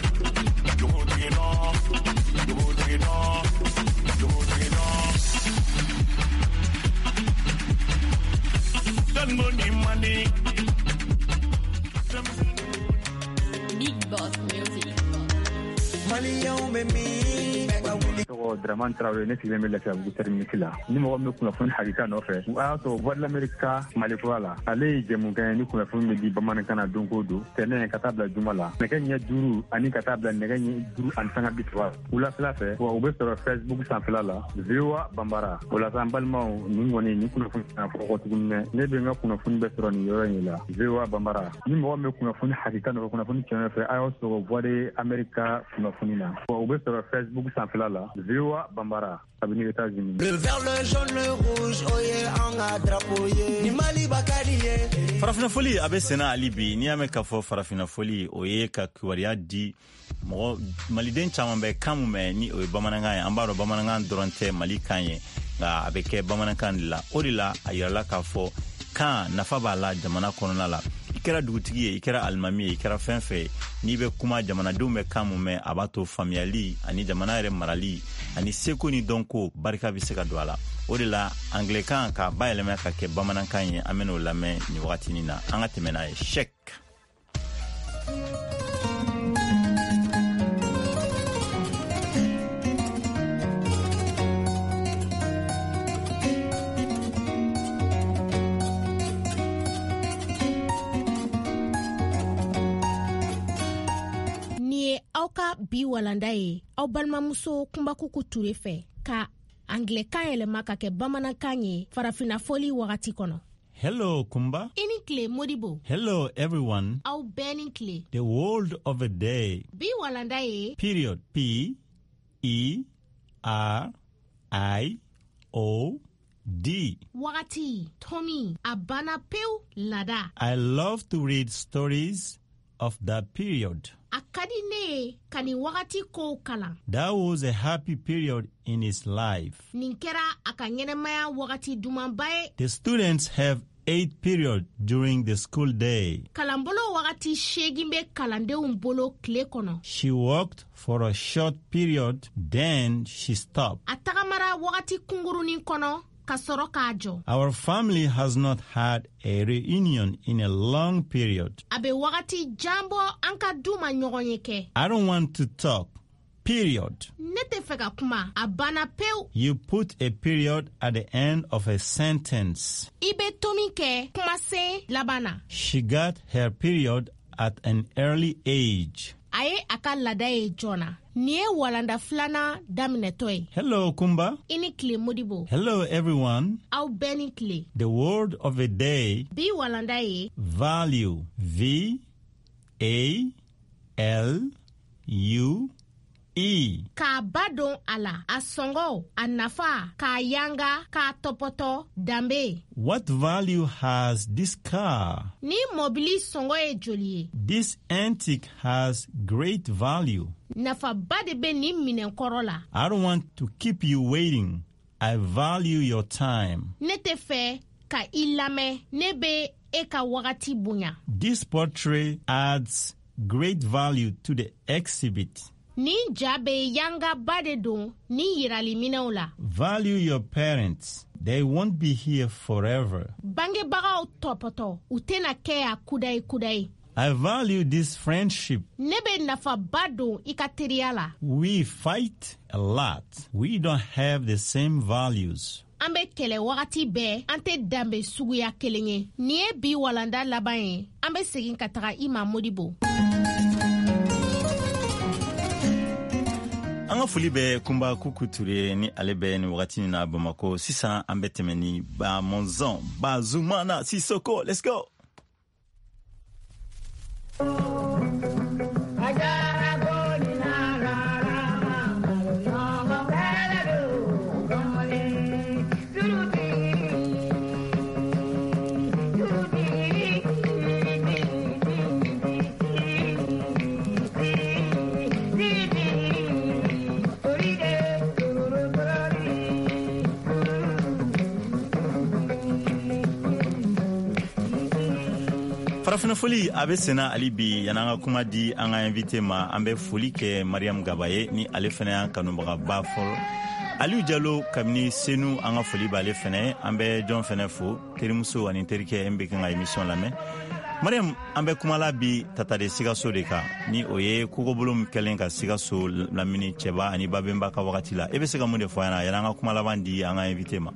Dugutigi nɔ, dugutigi nɔ, dugutigi nɔ. Jɔnninko nin man di. Big Boss Music. Maliyɛnw bɛ min? Bɛɛ ka wuli. Tɔgɔ Dramane Traoré, ne sigilen bɛ Lafiyabugu terminus la. Ni mɔgɔ min bɛ kunnafoni hakika nɔfɛ, a y'a sɔrɔ Voix de l'Amérique ka Mali kura la. Ale ye jɛmukan ye ni kunnafoni bɛ di bamanankan na don o don, tɛnɛn ka taa bila juma la, nɛgɛ ɲɛ 5 ani ka taa bila nɛgɛ ɲɛ 5:30 wulafɛla fɛ. Wa u bɛ sɔrɔ Facebook sanfɛla la, VOA Bambara. O la sa, n balimaw, nin kɔni nin kunnafoni kana fɔ kɔ tuguni dɛ. Ne bɛ n ka kunnafoni bɛɛ sɔrɔ nin yɔrɔ in de la, VOA Bambara. Ni mɔgɔ min bɛ kunnafoni hakika nɔfɛ, kunnafoni tiɲɛ nɔfɛ, a y'aw sɔrɔ Voix de l'Amérique ka kunnafoni na. Wa u bɛ sɔrɔ Facebook sanfɛla la, VOA Bambara, kabini États-Unis. Le vert, le jaune, le rouge, o ye an ka drapeau ye. Ni Maliba ka di ye. Farafinna foli a bɛ senna hali bi. N'i y'a mɛn k'a fɔ farafinna foli, o ye ka kibaruya di mɔgɔ maliden caman bɛ kan mun mɛn ni o ye bamanankan ye. An b'a dɔn bamanankan dɔrɔn tɛ Mali kan ye, nka a bɛ kɛ bamanankan de la. O de la a yirala k'a fɔ kan nafa b'a la jamana kɔnɔna la. I kɛra dugutigi ye, i kɛra alimami ye, i kɛra fɛn fɛn ye, n'i bɛ kuma, jamanadenw bɛ kan mun mɛn, a b'a to faamuyali ani jamana yɛrɛ marali ani seko ni dɔnko barika bɛ se ka don a la. O de la anglɛkan k'a bayɛlɛma ka kɛ bamanankan ye, an bɛn'o lamɛn nin wagatinin na. An ka tɛmɛ n'a ye sɛk. Nin ye aw ka bi walanda ye, aw balimamuso Kunbakuku Ture fɛ, ka anglɛkan yɛlɛma ka kɛ bamanankan ye farafinna fɔli wagati kɔnɔ. Hello, Kumba. I ni tile, Modibo. Hello, everyone. Aw bɛɛ ni tile. The word of the day. Bi walanda ye. Period. P E R I O D. Wagati, tomi, a banna pewu, lada. I love to read stories of that period. A ka di ne ye ka nin wagati kow kalan. That was a happy period in his life. Nin kɛra a ka ɲɛnamaya wagati dumanba ye. The students have 8 periods during the school day. Kalanbolo wagati 8 bɛ kalandenw bolo tile kɔnɔ. She walked for a short period, then she stopped. A tagamara wagati kunkurunin kɔnɔ ka sɔrɔ k'a jɔ. Our family has not had a reunion in a long period. A bɛ wagati jan bɔ an ka du ma ɲɔgɔn ye kɛ. I don't want to talk. Period. Ne tɛ fɛ ka kuma. A banna pewu. You put a period at the end of a sentence. I bɛ tomi kɛ kumasen laban na. She got her period at an early age. A ye a ka laada ye joona. Nin ye walanda filanan daminɛtɔ ye. Hello, Kumba. I ni tile, Modibo. Hello, everyone. Aw bɛɛ ni tile. The word of the day. Bi walanda ye. Value. V A L U E. K'a ba don a la, a sɔngɔ, a nafa, k'a yanga, k'a tɔpɔtɔ, danbe. What value has this car? Ni mɔbili sɔngɔ ye joli ye? This antique has great value. Nafaba de bɛ nin minɛnkɔrɔ la. I don't want to keep you waiting. I value your time. Ne tɛ fɛ ka i lamɛn, ne bɛ e ka wagati bonya. This portrait adds great value to the exhibit. Nin ja bɛ yangaba de don ni yiraliminɛw la. Value your parents. They won't be here forever. Bangebagaw tɔpɔtɔ, u tɛna kɛ yan kudayi kudayi. I value this friendship. Ne bɛ nafaba don i ka teriya la. We fight a lot. We don't have the same values. An bɛ kɛlɛ wagati bɛɛ, an tɛ danbe suguya kelen ye. Nin ye bi walanda laban ye. An bɛ segin ka taga i ma, Modibo. An ka foli bɛ Kunba Kuku Ture ni ale bɛ nin wagati in na Bamako. Sisan an bɛ tɛmɛ ni Bamɔnzɔn Bazumana Sisoko. Let's go. Farafinna foli a bɛ senna hali bi. Yan'an ka kuma di an ka invité ma, an bɛ foli kɛ Mariam Gaba ye, ni ale fana y'an kanubagaba fɔlɔ. Aliou Jalo kabini Senu, an ka foli b'ale fana. An bɛ jɔn fana fo, terimuso ani terikɛ min bɛ kan ka émission lamɛn. Mariam, an bɛ kumala bi Tata de Sikaso de kan, ni o ye kogobolo min kɛlen ka Sikaso lamini Cɛba ani Babenba ka wagati la. E bɛ se ka mun de fɔ an ɲɛna yan'an ka kuma laban di an ka invité ma?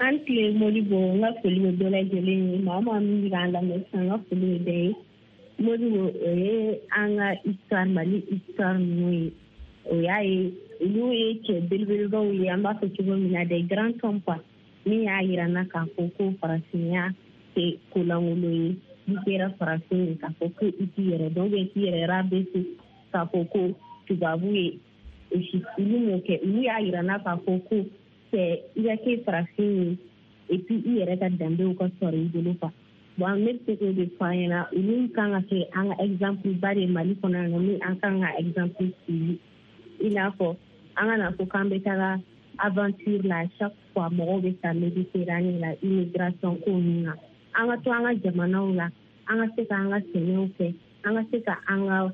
An tile, Modibo. N ka foli bɛ bɛɛ lajɛlen ye. Maa o maa min bɛ k'an lamɛn sisan, n ka foli bɛ bɛɛ ye. Modibo, o ye an ka histoire, Mali histoire ninnu ye. O y'a ye, olu ye cɛ belebelebaw ye, an b'a fɔ cogo min na, des grands hommes quoi, min y'a yira n na k'a fɔ ko farafinya tɛ kolankolon ye. N'i kɛra farafin ye, k'a fɔ ko i t'i yɛrɛ dɔn, ou bien k'i yɛrɛ rabaisser, k'a fɔ ko tubabu ye, olu m'o kɛ. Olu y'a yira n na k'a fɔ ko cɛ, i ka kɛ farafin ye et puis i yɛrɛ ka danbew ka sɔrɔ i bolo quoi. Bon, ne bɛ se k'o de fɔ an ɲɛna. Olu kan ka kɛ an ka exemple ba de ye Mali kɔnɔ yan nɔ, min an kan ka exemple suivi. I n'a fɔ an kana fɔ k'an bɛ taga aventure la, chaque fois mɔgɔw bɛ taa Méditerranée la, immigration ko ninnu na. An ka to an ka jamanaw la, an ka se k'an ka sɛnɛw kɛ, an ka se ka an ka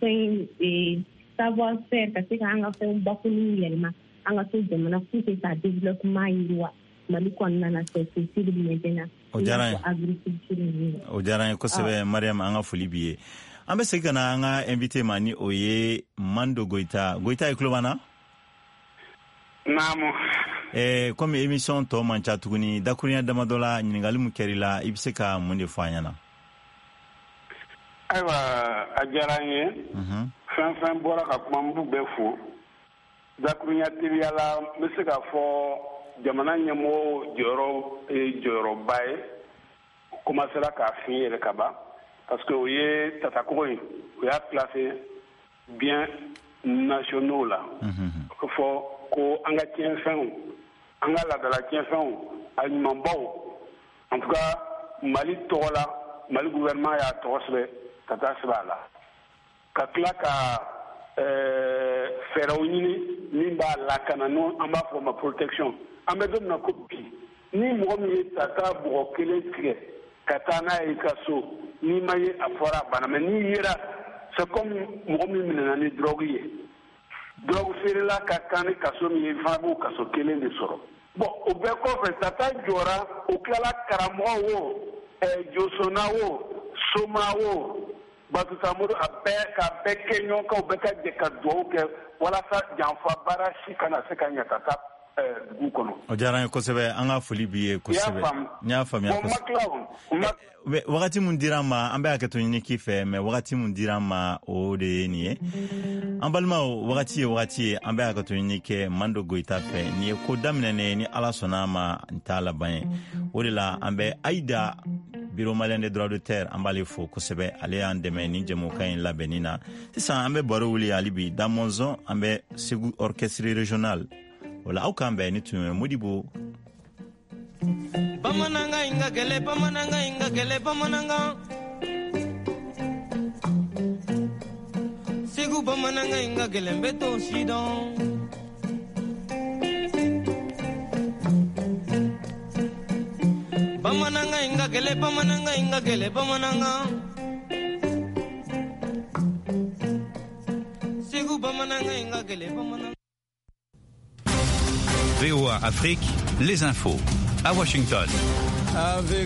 fɛn savoir faire, ka se k'an ka fɛn bakuluw yɛlɛma. An ka to jamana pour que ka développement yiriwa Mali kɔnɔna na, c'est possible maintenant. O diyara n ye. Agriculture ninnu. O diyara n ye kosɛbɛ, Mariam. An ka foli b'i ye. An bɛ segin ka na an ka invité ma, ni o ye Mando Goyita. Goyita, i tulo b'an na? Naamu. Komi émission tɔ man ca tuguni, dakurunya damadɔ la, ɲininkali min kɛr'i la, i bɛ se ka mun de fɔ an ɲɛna? Ayiwa, a diyara n ye. Fɛn fɛn bɔra ka kuma, n b'u bɛɛ fo. Dakurunya teliya la, n bɛ se k'a fɔ jamana ɲɛmɔgɔw jɔyɔrɔ ye jɔyɔrɔba ye. U commencera k'a fin yɛrɛ ka ban, parce que o ye tatakogo in, o y'a classé biens nationaux la. O fɔ ko an ka tiɲɛfɛnw, an ka laadala tiɲɛfɛnw, a ɲumanbaw, en tout cas Mali tɔgɔ la, Mali gouvernement y'a tɔgɔ sɛbɛn, Tata sɛbɛn a la, ka tila ka fɛɛrɛw ɲini min b'a lakana, n'o an b'a fɔ o ma protection. An bɛ don min na ko bi, ni mɔgɔ min ye Tata bɔgɔ kelen tigɛ ka taa n'a ye i ka so, n'i ma ye, a fɔra a banna. Mais n'i yera, c'est comme mɔgɔ min minɛna ni drogue ye. Drogue feerela ka kan ni kaso min ye, i fana b'o kaso kelen de sɔrɔ. Bon, o bɛɛ kɔfɛ, Tata jɔra, o tilala karamɔgɔ o, josonna o, soma o, Batuta Mori, a bɛɛ k'a bɛɛ kɛ ɲɔgɔn kan, u bɛɛ ka jɛ ka dugawu kɛ walasa janfa baara si kana se ka ɲɛ ka taa dugu kɔnɔ. O diyara n ye kosɛbɛ. An ka foli b'i ye kosɛbɛ. N y'a faamuya. Bon, ma tila o. Wagati mun dira an ma, an bɛ hakɛto ɲini k'i fɛ, mais wagati mun dira an ma, o de ye nin ye. An balimaw, wagati ye wagati ye. An bɛ hakɛto ɲini kɛ Mando Goyita fɛ. Nin ye ko daminɛnen ye, ni Ala sɔnna a ma, n t'a laban ye. O de la an bɛ Ayida, Bureau malien des droits d'auteur, an b'ale fo kosɛbɛ. Ale y'an dɛmɛ nin jɛmukan in labɛnni na. Sisan an bɛ baro wuli hali bi da Mɔnzɔn, an bɛ Segu orchestre régional o la. Aw k'an bɛn. Ni tun ye Modibo. Bamanankan in ka gɛlɛn, bamanankan in ka gɛlɛn, bamanankan. Segu bamanankan in ka gɛlɛn, bɛɛ t'o si dɔn. Bamanankan in ka gɛlɛn, bamanankan in ka gɛlɛn, bamanankan. Jugu bamanankan in ka gɛlɛn bamanan. VOA Afrique, les infos. À Washington. Avec